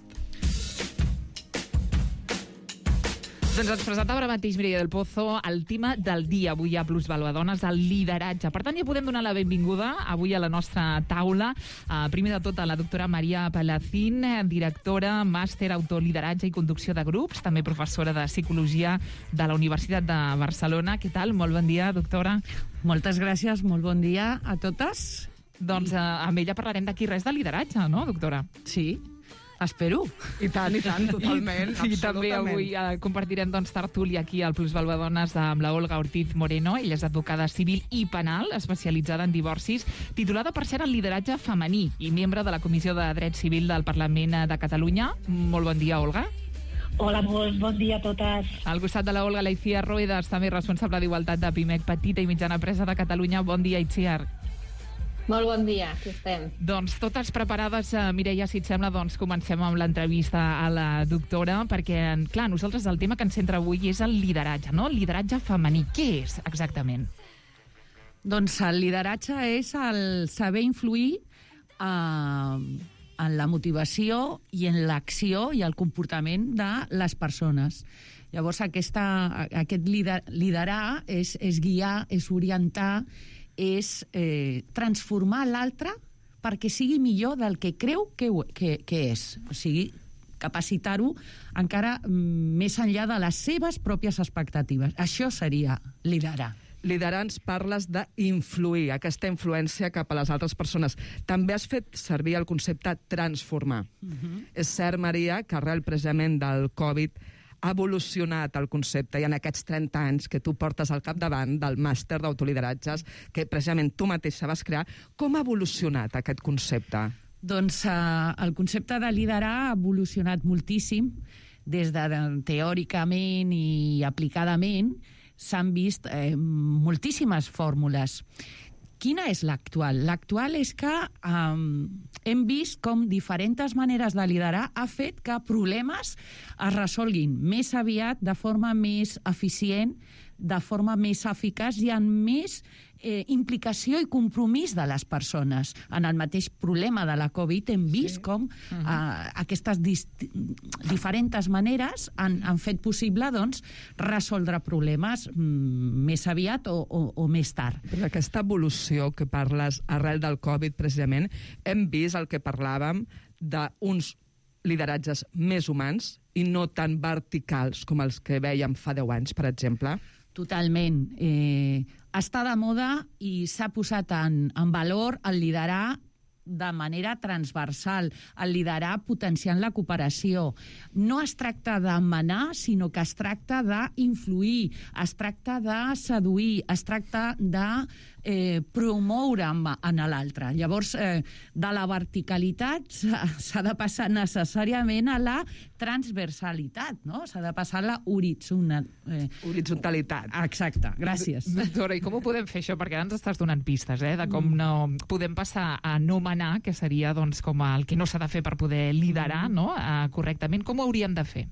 Doncs ens presentava ara mateix Mireia del Pozo el tema del dia avui a Plusvalua Dones, el lideratge. Per tant, ja podem donar la benvinguda avui a la nostra taula. Primer de tot, a la doctora Maria Palacín, directora, màster, autolideratge i conducció de grups, també professora de Psicologia de la Universitat de Barcelona. Què tal? Molt bon dia, doctora. Moltes gràcies, molt bon dia a totes. Doncs amb ella parlarem d'aquí res de lideratge, no, doctora? Sí. Espero. I tant, totalment. I també avui compartirem tertúlia aquí al Plusvalua Dones amb la Olga Ortiz Moreno. Ella és advocada civil i penal, especialitzada en divorcis, titulada per ser en lideratge femení i membre de la Comissió de Dret Civil del Parlament de Catalunya. Molt bon dia, Olga. Hola, molt bon dia a totes. Al costat de la Olga, la Itziar Ruedas, també responsable d'Igualtat de PIMEC, Petita i Mitjana Empresa de Catalunya. Bon dia, Itziar. Molt bon dia, aquí estem. Doncs totes preparades, Mireia, si et sembla, comencem amb l'entrevista a la doctora, perquè, clar, nosaltres el tema que ens centra avui és el lideratge, no? El lideratge femení. Què és, exactament? Doncs el lideratge és el saber influir en la motivació i en l'acció i el comportament de les persones. Llavors, aquest liderar és guiar, és orientar, és transformar l'altre perquè sigui millor del que creu que és. O sigui, capacitar-ho encara més enllà de les seves pròpies expectatives. Això seria liderar. Liderar ens parles d'influir, aquesta influència cap a les altres persones. També has fet servir el concepte transformar. És cert, Maria, que arrel precisament del Covid ha evolucionat el concepte i en aquests 30 anys que tu portes al capdavant del màster d'autolideratges que precisament tu mateixa vas crear, com ha evolucionat aquest concepte? Doncs el concepte de liderar ha evolucionat moltíssim des de teòricament i aplicadament. S'han vist moltíssimes fórmules. Quina és l'actual? L'actual és que hem vist com diferents maneres de liderar ha fet que problemes es resolguin més aviat, de forma més eficient, de forma més eficaç i amb més implicació i compromís de les persones. En el mateix problema de la Covid hem vist com aquestes diferents maneres han fet possible resoldre problemes més aviat o més tard. Però aquesta evolució que parles arrel del Covid, precisament, hem vist el que parlàvem d'uns lideratges més humans i no tan verticals com els que vèiem fa 10 anys, per exemple. Totalment. Està de moda i s'ha posat en valor el liderar de manera transversal, el liderar potenciant la cooperació. No es tracta de manar, sinó que es tracta d'influir, es tracta de seduir, es tracta de promoure en l'altre. Llavors, de la verticalitat s'ha de passar necessàriament a la transversalitat, no? S'ha de passar a la horitzontalitat. Exacte, gràcies. Doctora, i com ho podem fer això? Perquè ara ens estàs donant pistes, de com no podem passar a no manar, que seria com el que no s'ha de fer per poder liderar correctament. Com ho hauríem de fer?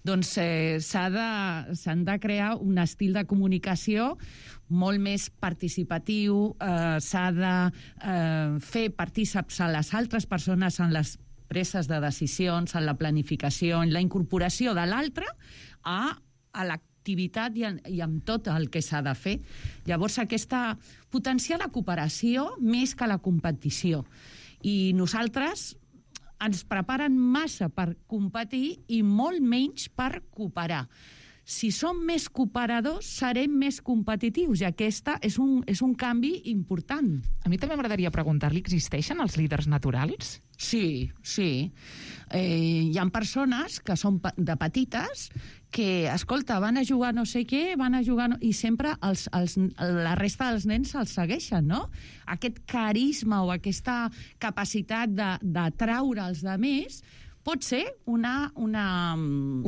Doncs s'han de crear un estil de comunicació molt més participatiu, s'ha de fer partícips a les altres persones en les preses de decisions, en la planificació, en la incorporació de l'altre a l'activitat i amb tot el que s'ha de fer. Llavors, potenciar la cooperació més que la competició. I nosaltres ens preparen massa per competir i molt menys per cooperar. Si som més cooperadors, serem més competitius, i aquesta és un canvi important. A mi també m'agradaria preguntar-li, existeixen els líders naturals? Sí. Hi ha persones que són de petites que, escolta, van a jugar no sé què, i sempre la resta dels nens els segueixen, no? Aquest carisma o aquesta capacitat d'atraure els altres pot ser un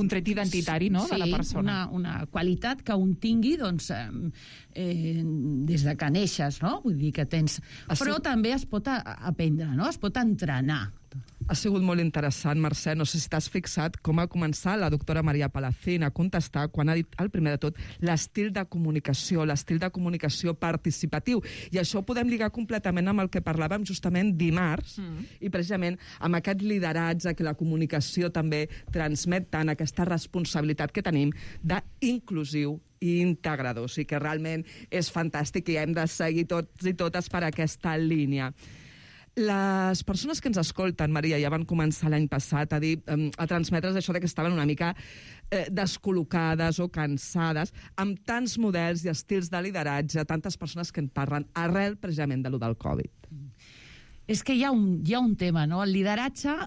tret identitari, no?, de la persona. Una qualitat que un tingui, des de que neixes, no? Vull dir que tens... Però també es pot aprendre, no? Es pot entrenar. Ha sigut molt interessant, Mercè. No sé si t'has fixat com ha començat la doctora Maria Palacín a contestar quan ha dit, el primer de tot, l'estil de comunicació participatiu. I això ho podem lligar completament amb el que parlàvem justament dimarts, i precisament amb aquest lideratge que la comunicació també transmet tant, aquesta responsabilitat que tenim d'inclusiu i integrador. O sigui que realment és fantàstic i hem de seguir tots i totes per aquesta línia. Les persones que ens escolten, Maria, ja van començar l'any passat a transmetre's això que estaven una mica descol·locades o cansades, amb tants models i estils de lideratge, tantes persones que en parlen arrel precisament de lo del Covid. És que hi ha un tema, no? El lideratge,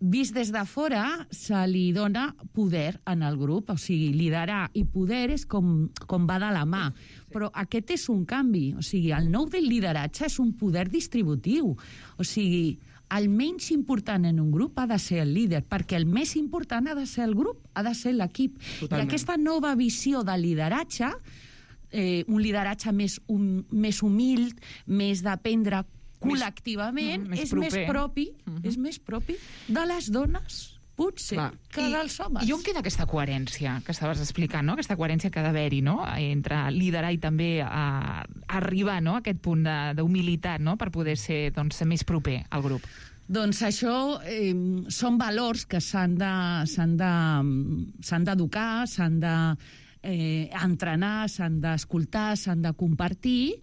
vist des de fora, se li dona poder en el grup. O sigui, liderar i poder és com va de la mà. Però aquest és un canvi. O sigui, el nou del lideratge és un poder distributiu. O sigui, el menys important en un grup ha de ser el líder, perquè el més important ha de ser el grup, ha de ser l'equip. I aquesta nova visió de lideratge, un lideratge més humil, més d'aprendre col·lectivament, és més propi de les dones, potser, que dels homes. I on queda aquesta coherència que estaves explicant, no? Aquesta coherència que ha d'haver-hi, no?, entre liderar i també arribar, no?, a aquest punt d'humilitat, no?, per poder ser més proper al grup. Doncs això són valors que s'han d'educar, s'han d'entrenar, s'han d'escoltar, s'han de compartir,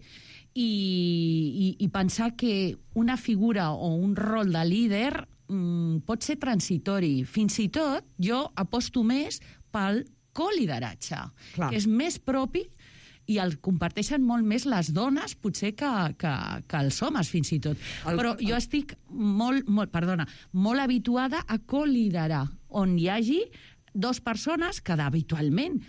i pensar que una figura o un rol de líder pot ser transitori. Fins i tot jo aposto més pel colideratge, que és més propi i el comparteixen molt més les dones, potser que els homes, fins i tot. Però jo estic molt habituada a coliderar, on hi hagi dues persones que habitualment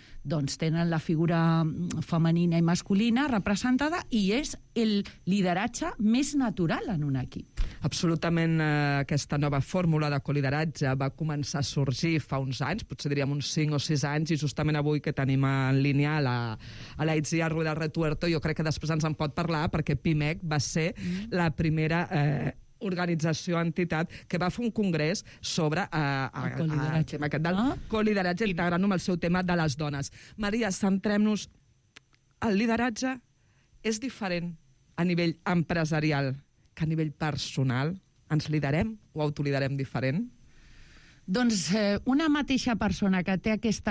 tenen la figura femenina i masculina representada, i és el lideratge més natural en un equip. Absolutament, aquesta nova fórmula de colideratge va començar a sorgir fa uns anys, potser diríem uns 5 o 6 anys, i justament avui que tenim en línia a la Itziar Rueda Retuerto, jo crec que després ens en pot parlar, perquè PIMEC va ser la primera organització, entitat, que va fer un congrés sobre el tema aquest del colideratge, integrant-ho amb el seu tema de les dones. Maria, centrem-nos. El lideratge és diferent a nivell empresarial que a nivell personal? Ens liderem o autoliderem diferent? Doncs una mateixa persona que té aquest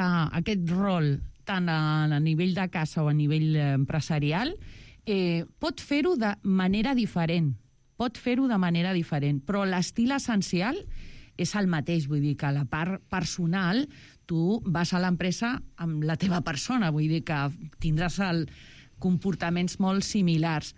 rol tant a nivell de casa o a nivell empresarial pot fer-ho de manera diferent. Però l'estil essencial és el mateix. Vull dir que a la part personal tu vas a l'empresa amb la teva persona, vull dir que tindràs comportaments molt similars.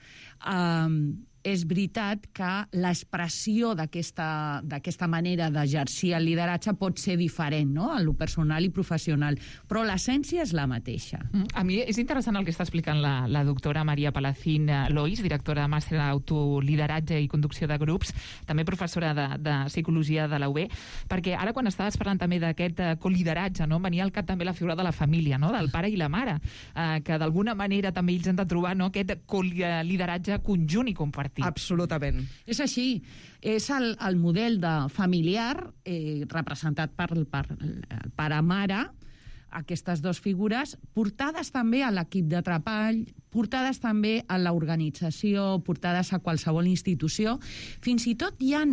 És veritat que l'expressió d'aquesta manera d'exercir el lideratge pot ser diferent, no?, en lo personal i professional, però l'essència és la mateixa. A mi és interessant el que està explicant la doctora Maria Palacín Lois, directora de màster en autolideratge i conducció de grups, també professora de psicologia de la UB, perquè ara quan estaves parlant també d'aquest colideratge, no?, venia al cap també la figura de la família, no?, del pare i la mare, que d'alguna manera també ells han de trobar, no?, aquest lideratge conjunt i compartit. Absolutament. És així. És el model de familiar representat per pare-mare, aquestes dues figures, portades també a l'equip de treball, portades també a l'organització, portades a qualsevol institució. Fins i tot hi ha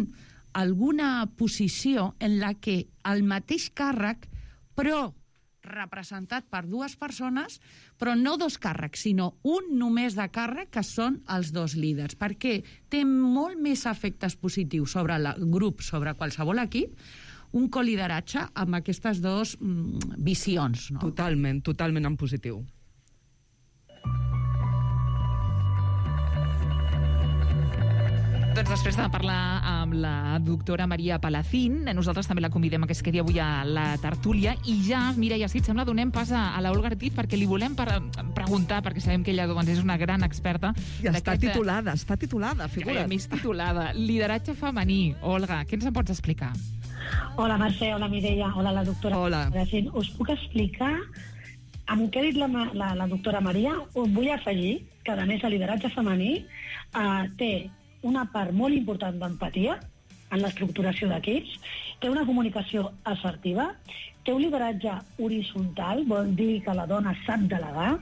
alguna posició en la que el mateix càrrec, però representat per dues persones, però no dos càrrecs, sinó un només de càrrec, que són els dos líders, perquè té molt més efectes positius sobre el grup, sobre qualsevol equip, un colideratge amb aquestes dues visions. No? Totalment en positiu. Doncs després de parlar amb la doctora Maria Palacín, nosaltres també la convidem a que es quedi avui a la tertúlia i ja, Mireia, si et sembla, donem pas a la Olga Ortiz perquè li volem preguntar, perquè sabem que ella és una gran experta. I està titulada, figura't. Més titulada. Lideratge femení. Olga, què ens en pots explicar? Hola, Mercè, hola, Mireia, hola, la doctora. Hola. Us puc explicar, amb el que ha dit la doctora Maria, us vull afegir que, a més, el lideratge femení té una part molt important d'empatia en l'estructuració d'equips, té una comunicació assertiva, té un lideratge horitzontal, vol dir que la dona sap delegar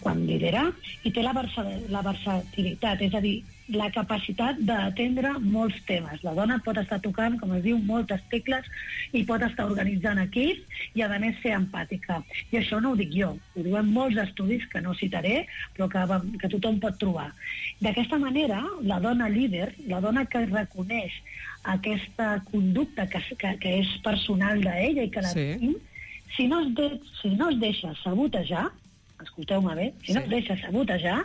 quan lidera, i té la versatilitat, és a dir, la capacitat d'atendre molts temes. La dona pot estar tocant, com es diu, moltes tecles i pot estar organitzant equips i, a més, ser empàtica. I això no ho dic jo, ho diuen molts estudis que no citaré, però que tothom pot trobar. D'aquesta manera, la dona líder, la dona que reconeix aquesta conducta que és personal d'ella i que la tenim, si no es deixa sabotejar, escolteu-me bé, si no es deixa sabotejar,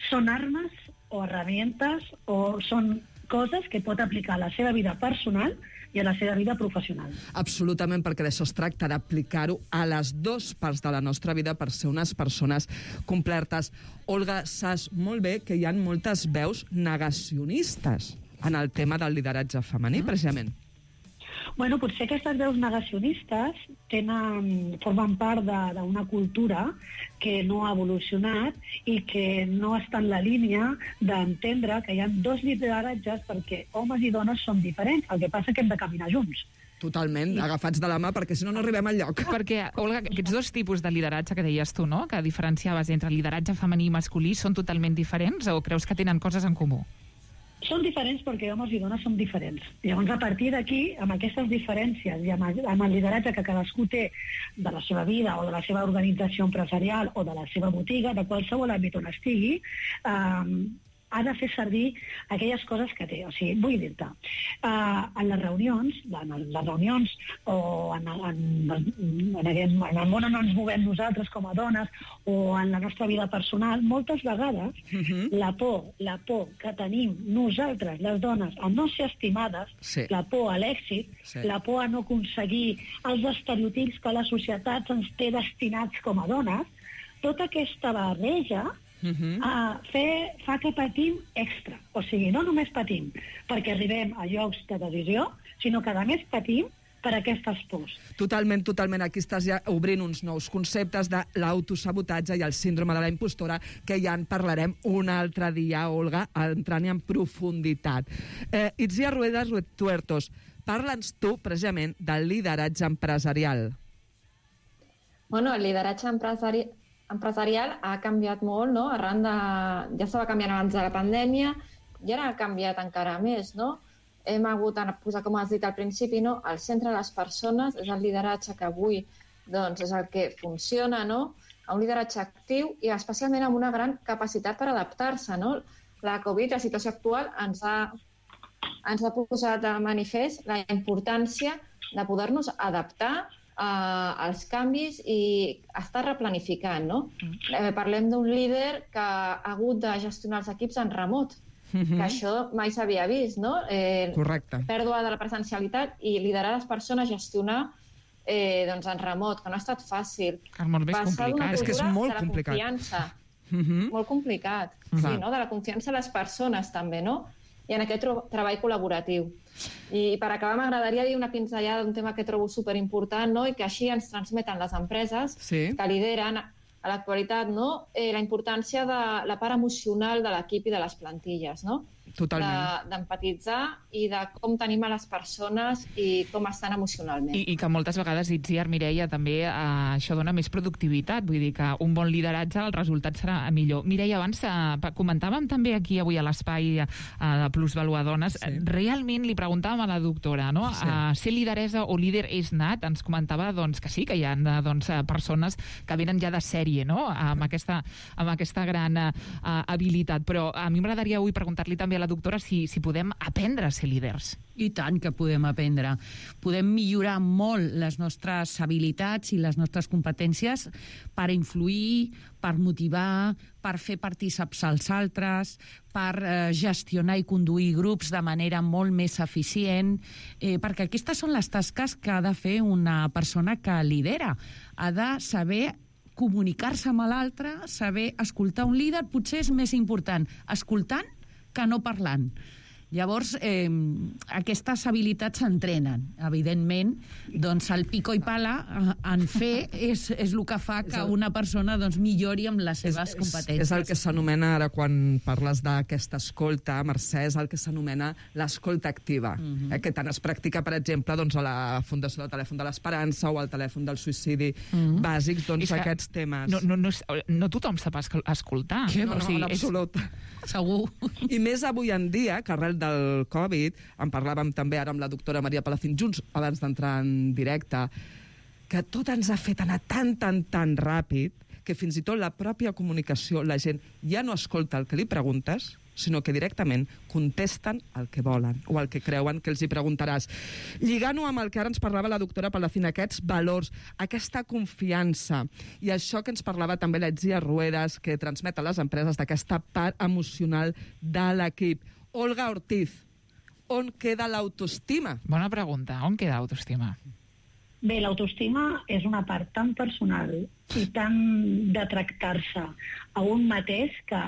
són armes o herramientes o són coses que pot aplicar a la seva vida personal i a la seva vida professional. Absolutament, perquè d'això es tracta, d'aplicar-ho a les dues parts de la nostra vida per ser unes persones completes. Olga, saps molt bé que hi ha moltes veus negacionistes en el tema del lideratge femení, precisament. Bueno, potser aquestes veus negacionistes formen part d'una cultura que no ha evolucionat i que no està en la línia d'entendre que hi ha dos lideratges perquè homes i dones són diferents. El que passa és que hem de caminar junts. Totalment, agafats de la mà, perquè si no, no arribem enlloc. Perquè, Olga, aquests dos tipus de lideratge que deies tu, no?, que diferenciaves entre lideratge femení i masculí, són totalment diferents o creus que tenen coses en comú? Són diferents perquè homes i dones som diferents. Llavors, a partir d'aquí, amb aquestes diferències i amb el lideratge que cadascú té de la seva vida o de la seva organització empresarial o de la seva botiga, de qualsevol àmbit on estigui, ha de fer servir aquelles coses que té. O sigui, vull dir-te, en les reunions o en el món on ens movem nosaltres com a dones o en la nostra vida personal, moltes vegades la por que tenim nosaltres, les dones, a no ser estimades, la por a l'èxit, la por a no aconseguir els estereotips que la societat ens té destinats com a dones, tota aquesta barreja fa que patim extra. O sigui, no només patim perquè arribem a llocs de decisió, sinó que a més patim per aquestes pors. Totalment. Aquí estàs ja obrint uns nous conceptes de l'autosabotatge i el síndrome de la impostora, que ja en parlarem un altre dia, Olga, entrant-hi en profunditat. Itziar Ruedas Tuertos, parla'ns tu, precisament, del lideratge empresarial. Bueno, el lideratge empresarial ha canviat molt, no? Arran de... Ja estava canviant abans de la pandèmia i ara ha canviat encara més, no? Hem hagut de posar, com has dit al principi, no? Al centre de les persones, és el lideratge que avui doncs, és el que funciona, no? Un lideratge actiu i especialment amb una gran capacitat per adaptar-se, no? La Covid, la situació actual, ens ha posat de manifest la importància de poder-nos adaptar als canvis i estar replanificant, no? Parlem d'un líder que ha hagut de gestionar els equips en remot, que això mai s'havia vist, no? Correcte. Pèrdua de la presencialitat i liderar les persones, gestionar doncs en remot, que no ha estat fàcil. És molt més complicat. És que és molt complicat. De la confiança. Molt complicat. Sí, no? De la confiança a les persones, també, no? I en aquest treball col·laboratiu. I per acabar m'agradaria dir una pinzellada d'un tema que trobo superimportant, no? I que així ens transmeten les empreses que lideren a l'actualitat, no? La importància de la part emocional de l'equip i de les plantilles, no? Totalment. D'empatitzar i de com tenim a les persones i com estan emocionalment. I que moltes vegades, Itziar, Mireia, també això dona més productivitat. Vull dir que un bon lideratge, el resultat serà millor. Mireia, abans comentàvem també aquí avui a l'espai de Plusvalua Dones, realment li preguntàvem a la doctora, no? Ser lideresa o líder és nat? Ens comentava doncs, que sí, que hi ha persones que venen ja de sèrie, no? Amb aquesta gran habilitat. Però a mi m'agradaria avui preguntar-li també a la doctora si podem aprendre a ser líders. I tant que podem aprendre. Podem millorar molt les nostres habilitats i les nostres competències per influir, per motivar, per fer partícips als altres, per gestionar i conduir grups de manera molt més eficient, perquè aquestes són les tasques que ha de fer una persona que lidera. Ha de saber comunicar-se amb l'altre, saber escoltar un líder, potser és més important escoltant que no parlant. Llavors, aquestes habilitats s'entrenen. Evidentment, doncs el pico i pala en fer és el que fa que una persona millori amb les seves competències. És el que s'anomena, ara quan parles d'aquesta escolta, Mercè, és el que s'anomena l'escolta activa, que tant es practica, per exemple, a la Fundació del Telèfon de l'Esperança o al telèfon del suïcidi bàsics, aquests temes. No tothom sap escoltar. No, en absolut. Segur. I més avui en dia, que arrel del Covid, en parlàvem també ara amb la doctora Maria Palacín junts, abans d'entrar en directe, que tot ens ha fet anar tan ràpid que fins i tot la pròpia comunicació, la gent ja no escolta el que li preguntes, sinó que directament contesten el que volen o el que creuen que els hi preguntaràs. Lligant-ho amb el que ara ens parlava la doctora Palacín, aquests valors, aquesta confiança i això que ens parlava també l'Itziar Ruedas, que transmet a les empreses d'aquesta part emocional de l'equip. Olga Ortiz, on queda l'autoestima? Bona pregunta, on queda l'autoestima? Bé, l'autoestima és una part tan personal i tan de tractar-se a un mateix que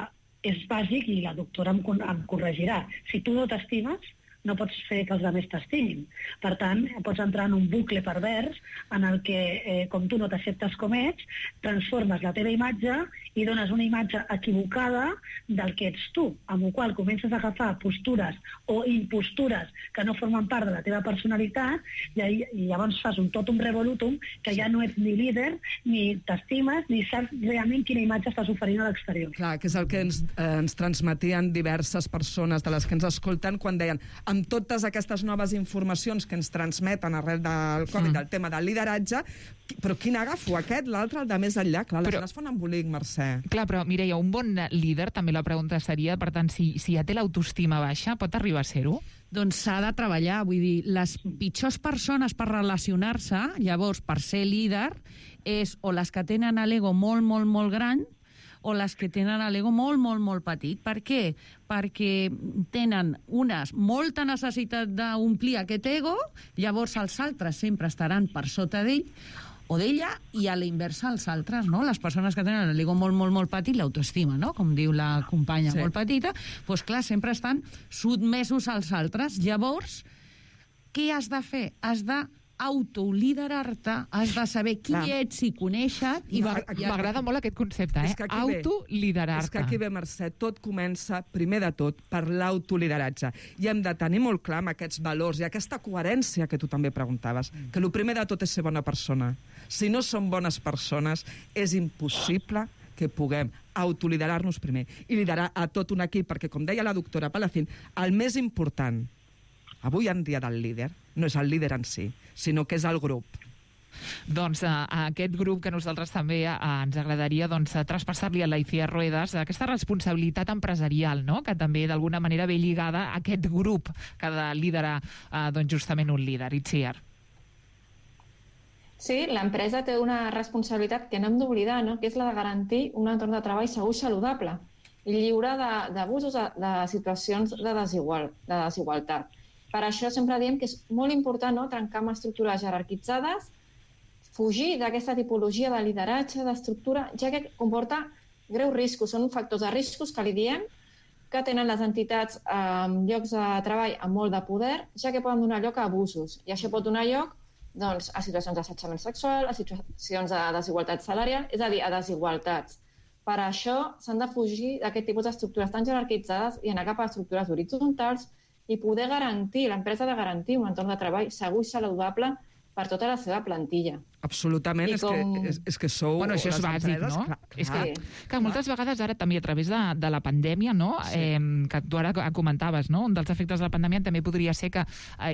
és bàsic, i la doctora em corregirà. Si tu no t'estimes, no pots fer que els altres t'estimin. Per tant, pots entrar en un bucle pervers en el que, com tu no t'acceptes com ets, transformes la teva imatge i dones una imatge equivocada del que ets tu, amb la qual comences a agafar postures o impostures que no formen part de la teva personalitat i llavors fas un totum revolutum que ja no ets ni líder, ni t'estimes, ni saps realment quina imatge estàs oferint a l'exterior. Clar, que és el que ens transmetien diverses persones de les que ens escolten quan deien amb totes aquestes noves informacions que ens transmeten arrel del Covid, del tema del lideratge, però quin agafo? Aquest, l'altre, el de més enllà? Clar, les es fan embolic, Mercè. Clar, però Mireia, un bon líder, també la pregunta seria, per tant, si ja té l'autoestima baixa, pot arribar a ser-ho? Doncs s'ha de treballar, vull dir, les pitjors persones per relacionar-se, llavors, per ser líder, és o les que tenen l'ego molt, molt, molt gran, o les que tenen l'ego molt, molt, molt petit. Per què? Perquè tenen unes molta necessitat d'omplir aquest ego, llavors els altres sempre estaran per sota d'ell o d'ella, i a la inversa els altres, no? Les persones que tenen l'ego molt, molt, molt petit, l'autoestima, no? Com diu la companya, molt petita, doncs clar, sempre estan sotmesos als altres. Llavors, què has de fer? Has de autoliderar-te, has de saber qui ets i conèixer... M'agrada molt aquest concepte, autoliderar-te. És que aquí ve, Mercè, tot comença, primer de tot, per l'autolideratge. I hem de tenir molt clar amb aquests valors i aquesta coherència que tu també preguntaves, que el primer de tot és ser bona persona. Si no som bones persones, és impossible que puguem autoliderar-nos primer i liderar a tot un equip, perquè, com deia la doctora Palacín, el més important avui en dia del líder no és el líder en si, sinó que és el grup. Doncs aquest grup que nosaltres també ens agradaria traspassar-li a l'Aicía Ruedas, aquesta responsabilitat empresarial, no?, que també d'alguna manera ve lligada a aquest grup que ha de liderar justament un líder. Itziar. Sí, l'empresa té una responsabilitat que no hem d'oblidar, no?, que és la de garantir un entorn de treball segur i saludable i lliure d'abusos, de situacions de desigualtat. Per això sempre diem que és molt important, no?, trencar amb estructures jerarquitzades, fugir d'aquesta tipologia de lideratge, d'estructura, ja que comporta greus riscos. Són factors de riscos que li diem que tenen les entitats en llocs de treball amb molt de poder, ja que poden donar lloc a abusos. I això pot donar lloc a situacions d'assetjament sexual, a situacions de desigualtat salarial, és a dir, a desigualtats. Per això s'han de fugir d'aquest tipus d'estructures tan jerarquitzades i anar cap a estructures horitzontals i poder garantir, l'empresa ha de garantir un entorn de treball segur i saludable per tota la seva plantilla. Absolutament, és que sou... Bueno, això és bàsic, no? És que moltes vegades ara també a través de la pandèmia, no?, que tu ara comentaves, no?, un dels efectes de la pandèmia també podria ser que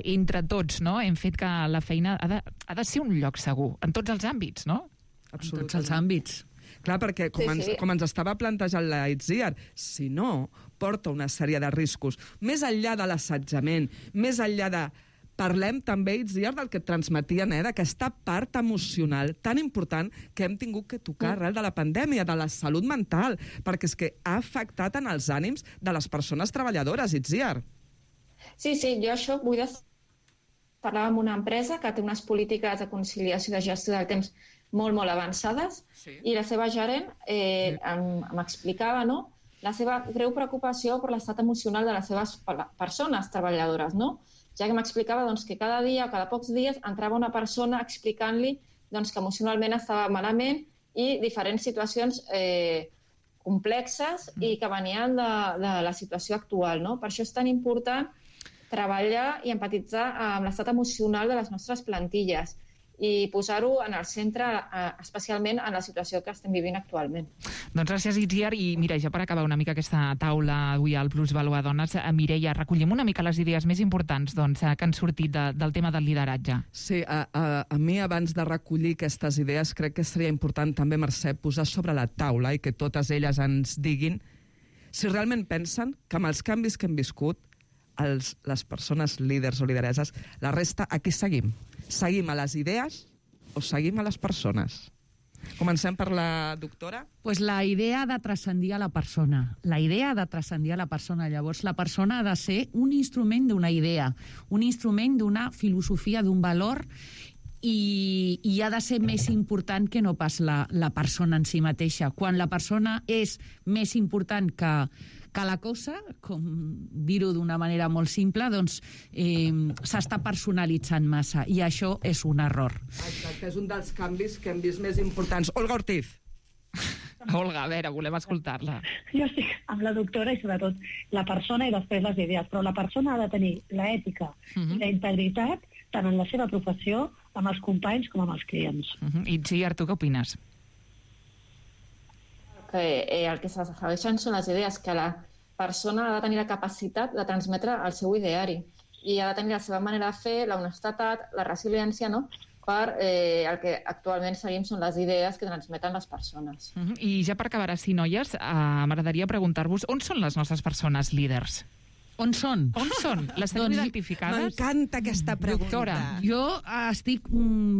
entre tots, no?, hem fet que la feina ha de ser un lloc segur, en tots els àmbits, no? Absolutament. En tots els àmbits. Clar, perquè com ens estava plantejant la Itziar, si no, porta una sèrie de riscos. Més enllà de l'assetjament, més enllà de... Parlem també, Itziar, del que et transmetien, d'aquesta part emocional tan important que hem tingut que tocar arrel de la pandèmia, de la salut mental, perquè és que ha afectat en els ànims de les persones treballadores, Itziar. Sí, jo això vull parlar amb una empresa que té unes polítiques de conciliació i de gestió del temps molt avançades, i la seva gerent m'explicava, no?, la seva greu preocupació per l'estat emocional de les seves persones treballadores, no?, ja que m'explicava que cada dia o cada pocs dies entrava una persona explicant-li que emocionalment estava malament i diferents situacions complexes i que venien de la situació actual, no? Per això és tan important treballar i empatitzar amb l'estat emocional de les nostres plantilles i posar-ho en el centre, especialment en la situació que estem vivint actualment. Doncs gràcies, Itziar. I mira, ja per acabar una mica aquesta taula avui al Plus Valua Dones, Mireia, recollim una mica les idees més importants que han sortit del tema del lideratge. Sí, a mi abans de recollir aquestes idees crec que seria important també, Mercè, posar sobre la taula i que totes elles ens diguin si realment pensen que amb els canvis que hem viscut les persones líders o lidereses, la resta, aquí seguim. Seguim a les idees o seguim a les persones? Comencem per la doctora. Pues la idea de transcendir a la persona. La idea de transcendir a la persona. Llavors, la persona ha de ser un instrument d'una idea, un instrument d'una filosofia, d'un valor, i ha de ser més important que no pas la persona en si mateixa. Quan la persona és més important que la cosa, com dir-ho d'una manera molt simple, doncs s'està personalitzant massa, i això és un error. Exacte, és un dels canvis que hem vist més importants. Olga Ortiz. Olga, a veure, volem escoltar-la. Jo estic amb la doctora i sobretot la persona i després les idees, però la persona ha de tenir l'ètica i la integritat tant en la seva professió, amb els companys com amb els clients. Itziar, tu què opines? El que s'afegeixen són les idees, que la persona ha de tenir la capacitat de transmetre el seu ideari i ha de tenir la seva manera de fer, la honestedat, la resiliència, no?, per el que actualment seguim són les idees que transmeten les persones. I ja per acabar així, noies, m'agradaria preguntar-vos on són les nostres persones líders? On són? On són? Les teniu identificades? M'encanta aquesta pregunta. Doctora, jo estic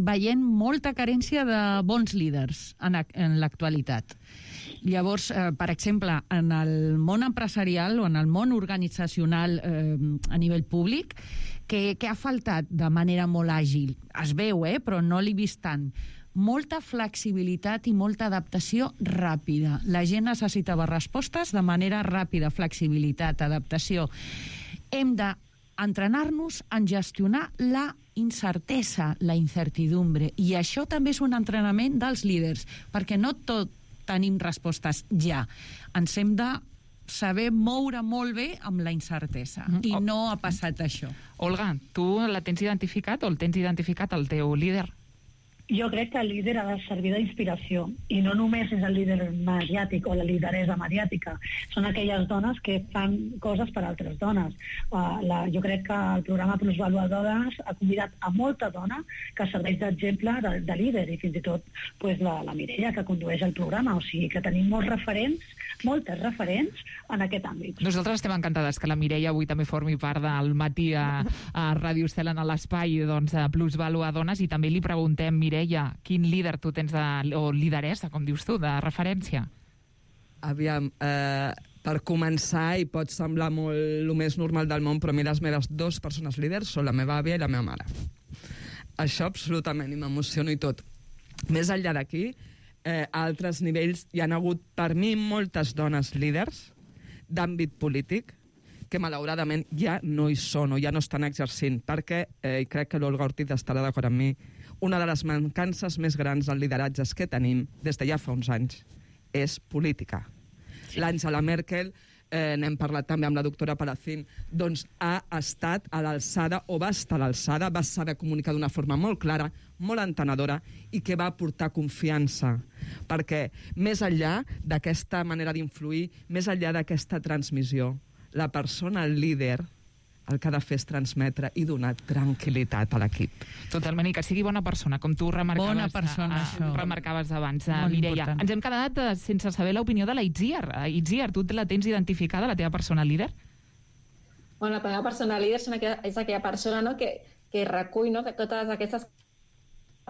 veient molta carència de bons líders en l'actualitat. Llavors, per exemple, en el món empresarial o en el món organitzacional a nivell públic, que ha faltat de manera molt àgil, es veu, però no l'he vist tant, molta flexibilitat i molta adaptació ràpida. La gent necessitava respostes de manera ràpida, flexibilitat, adaptació. Hem d'entrenar-nos en gestionar la incertesa, la incertidumbre. I això també és un entrenament dels líders, perquè no tot tenim respostes ja. Ens hem de saber moure molt bé amb la incertesa. I no ha passat això. Olga, tu la tens identificat o el tens identificat, el teu líder? Jo crec que el líder ha de servir d'inspiració, i no només és el líder mediàtic o la lideresa mediàtica, són aquelles dones que fan coses per a altres dones. Jo crec que el programa Plusvaluadores ha convidat a molta dona que serveix d'exemple de líder, i fins i tot la Mireia, que condueix el programa. O sigui que tenim moltes referents en aquest àmbit. Nosaltres estem encantades que la Mireia avui també formi part del matí a Ràdio Estel en l'espai Plusvaluadores, i també li preguntem, Mireia, quin líder tu tens, o lideressa, com dius tu, de referència? Aviam, per començar, i pot semblar molt el més normal del món, però a mi les meves 2 persones líders són la meva àvia i la meva mare. Això absolutament, i m'emociono i tot. Més enllà d'aquí, a altres nivells hi ha hagut, per mi, moltes dones líders d'àmbit polític que malauradament ja no hi són o ja no estan exercint, perquè, i crec que l'Olga Ortiz estarà d'acord amb mi, una de les mancances més grans dels lideratges que tenim des de ja fa uns anys és política. Sí. L'Angela Merkel, n'hem parlat també amb la doctora Palacín, doncs ha estat a l'alçada, o va estar a l'alçada, va saber comunicar d'una forma molt clara, molt entenedora, i que va aportar confiança. Perquè més enllà d'aquesta manera d'influir, més enllà d'aquesta transmissió, la persona líder el que ha de fer és transmetre i donar tranquil·litat a l'equip. Totalment, i que sigui bona persona, com tu remarcaves abans, Mireia. Important. Ens hem quedat sense saber l'opinió de la Itziar. Itziar, tu la tens identificada, la teva persona líder? Bueno, la meva persona líder és aquella persona, no, que recull, no, que totes aquestes,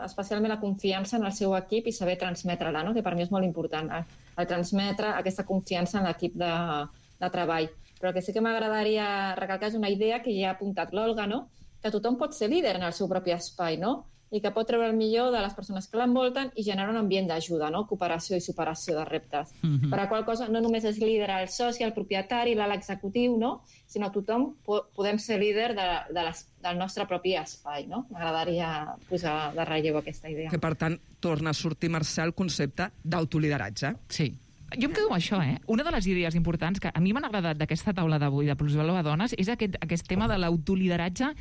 especialment la confiança en el seu equip i saber transmetre-la, no, que per mi és molt important, el transmetre aquesta confiança en l'equip de treball. Però el que sí que m'agradaria recalcar és una idea que ja ha apuntat l'Olga, no? Que tothom pot ser líder en el seu propi espai, no? I que pot treure el millor de les persones que l'envolten i generar un ambient d'ajuda, no? Cooperació i superació de reptes. Per la qual cosa no només és líder el soci, el propietari, l'alt executiu, no? Sinó tothom podem ser líder del nostre propi espai, no? M'agradaria posar de relleu aquesta idea. Que, per tant, torna a sortir, Mercè, el concepte d'autolideratge. Sí. Jo em quedo amb això, Una de les idees importants que a mi m'han agradat d'aquesta taula d'avui de Plusvaluadores és aquest tema de l'autolideratge,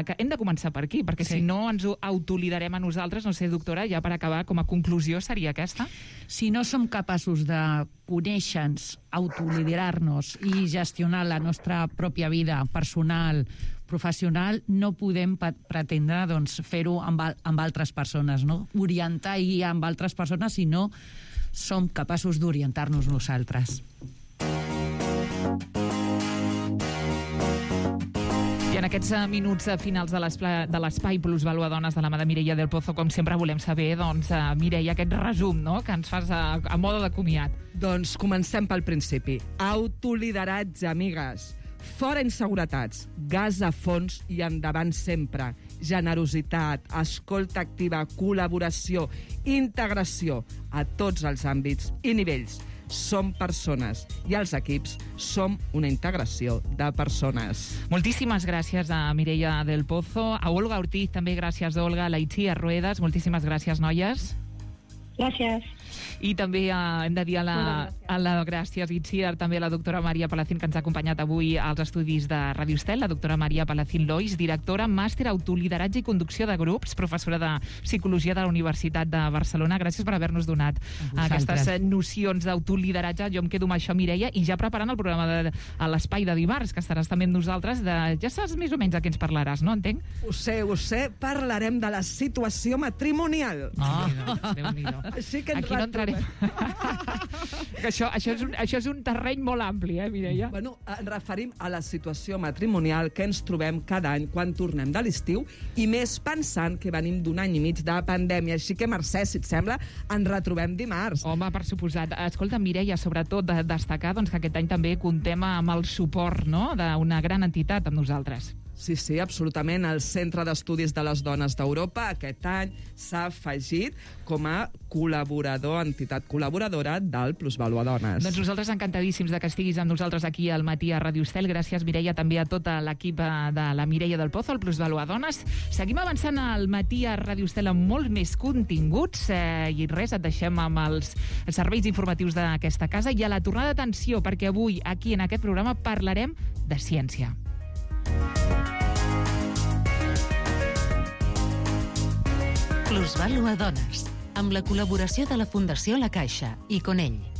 que hem de començar per aquí, perquè si no ens autoliderem a nosaltres, no sé, doctora, ja per acabar, com a conclusió seria aquesta? Si no som capaços de conèixer-nos, autoliderar-nos i gestionar la nostra pròpia vida personal, professional, no podem pretendre fer-ho amb altres persones, no? Orientar i guiar amb altres persones, si no som capaços d'orientar-nos nosaltres. I en aquests minuts finals de l'espai Plusvaluadores de la mà de Mireia del Pozo, com sempre volem saber, Mireia, aquest resum, no?, que ens fas a mode de comiat. Doncs comencem pel principi. Autolideratge, amigues. Fora inseguretats, gas a fons i endavant sempre. Generositat, escolta activa, col·laboració, integració a tots els àmbits i nivells. Som persones i els equips som una integració de persones. Moltíssimes gràcies a Mireia del Pozo, a Olga Ortiz, també gràcies, Olga, a la Itziar Ruedas, moltíssimes gràcies, noies. Gràcies. I també hem de dir a la gràcies, Itziar, també a la doctora Maria Palacín, que ens ha acompanyat avui als estudis de Ràdio Estel, la doctora Maria Palacín Lois, directora, màster autolideratge i conducció de grups, professora de Psicologia de la Universitat de Barcelona. Gràcies per haver-nos donat aquestes nocions d'autolideratge. Jo em quedo amb això, Mireia, i ja preparant el programa a l'espai de dimarts, que estaràs també amb nosaltres, ja saps més o menys de què ens parlaràs, no? Entenc? Ho sé, parlarem de la situació matrimonial. Déu-n'hi-do. Així que aquí no entrarem. això és un terreny molt ampli, Mireia? Bueno, ens referim a la situació matrimonial que ens trobem cada any quan tornem de l'estiu, i més pensant que venim d'un any i mig de pandèmia. Així que, Mercè, si et sembla, ens retrobem dimarts. Home, per suposat. Escolta, Mireia, sobretot destacar que aquest any també comptem amb el suport, no?, d'una gran entitat amb nosaltres. Sí, absolutament. El Centre d'Estudis de les Dones d'Europa aquest any s'ha afegit com a entitat col·laboradora del Plusvalua Dones. Doncs nosaltres encantadíssims de que estiguis amb nosaltres aquí al matí a Ràdio Estel. Gràcies, Mireia, també a tota l'equip de la Mireia del Pozo, el Plusvalua Dones. Seguim avançant al matí a Ràdio Estel amb molts més continguts i res, et deixem amb els serveis informatius d'aquesta casa i a la tornada d'atenció, perquè avui aquí en aquest programa parlarem de ciència. Plusvalua Dones, amb la col·laboració de la Fundació La Caixa i Conell.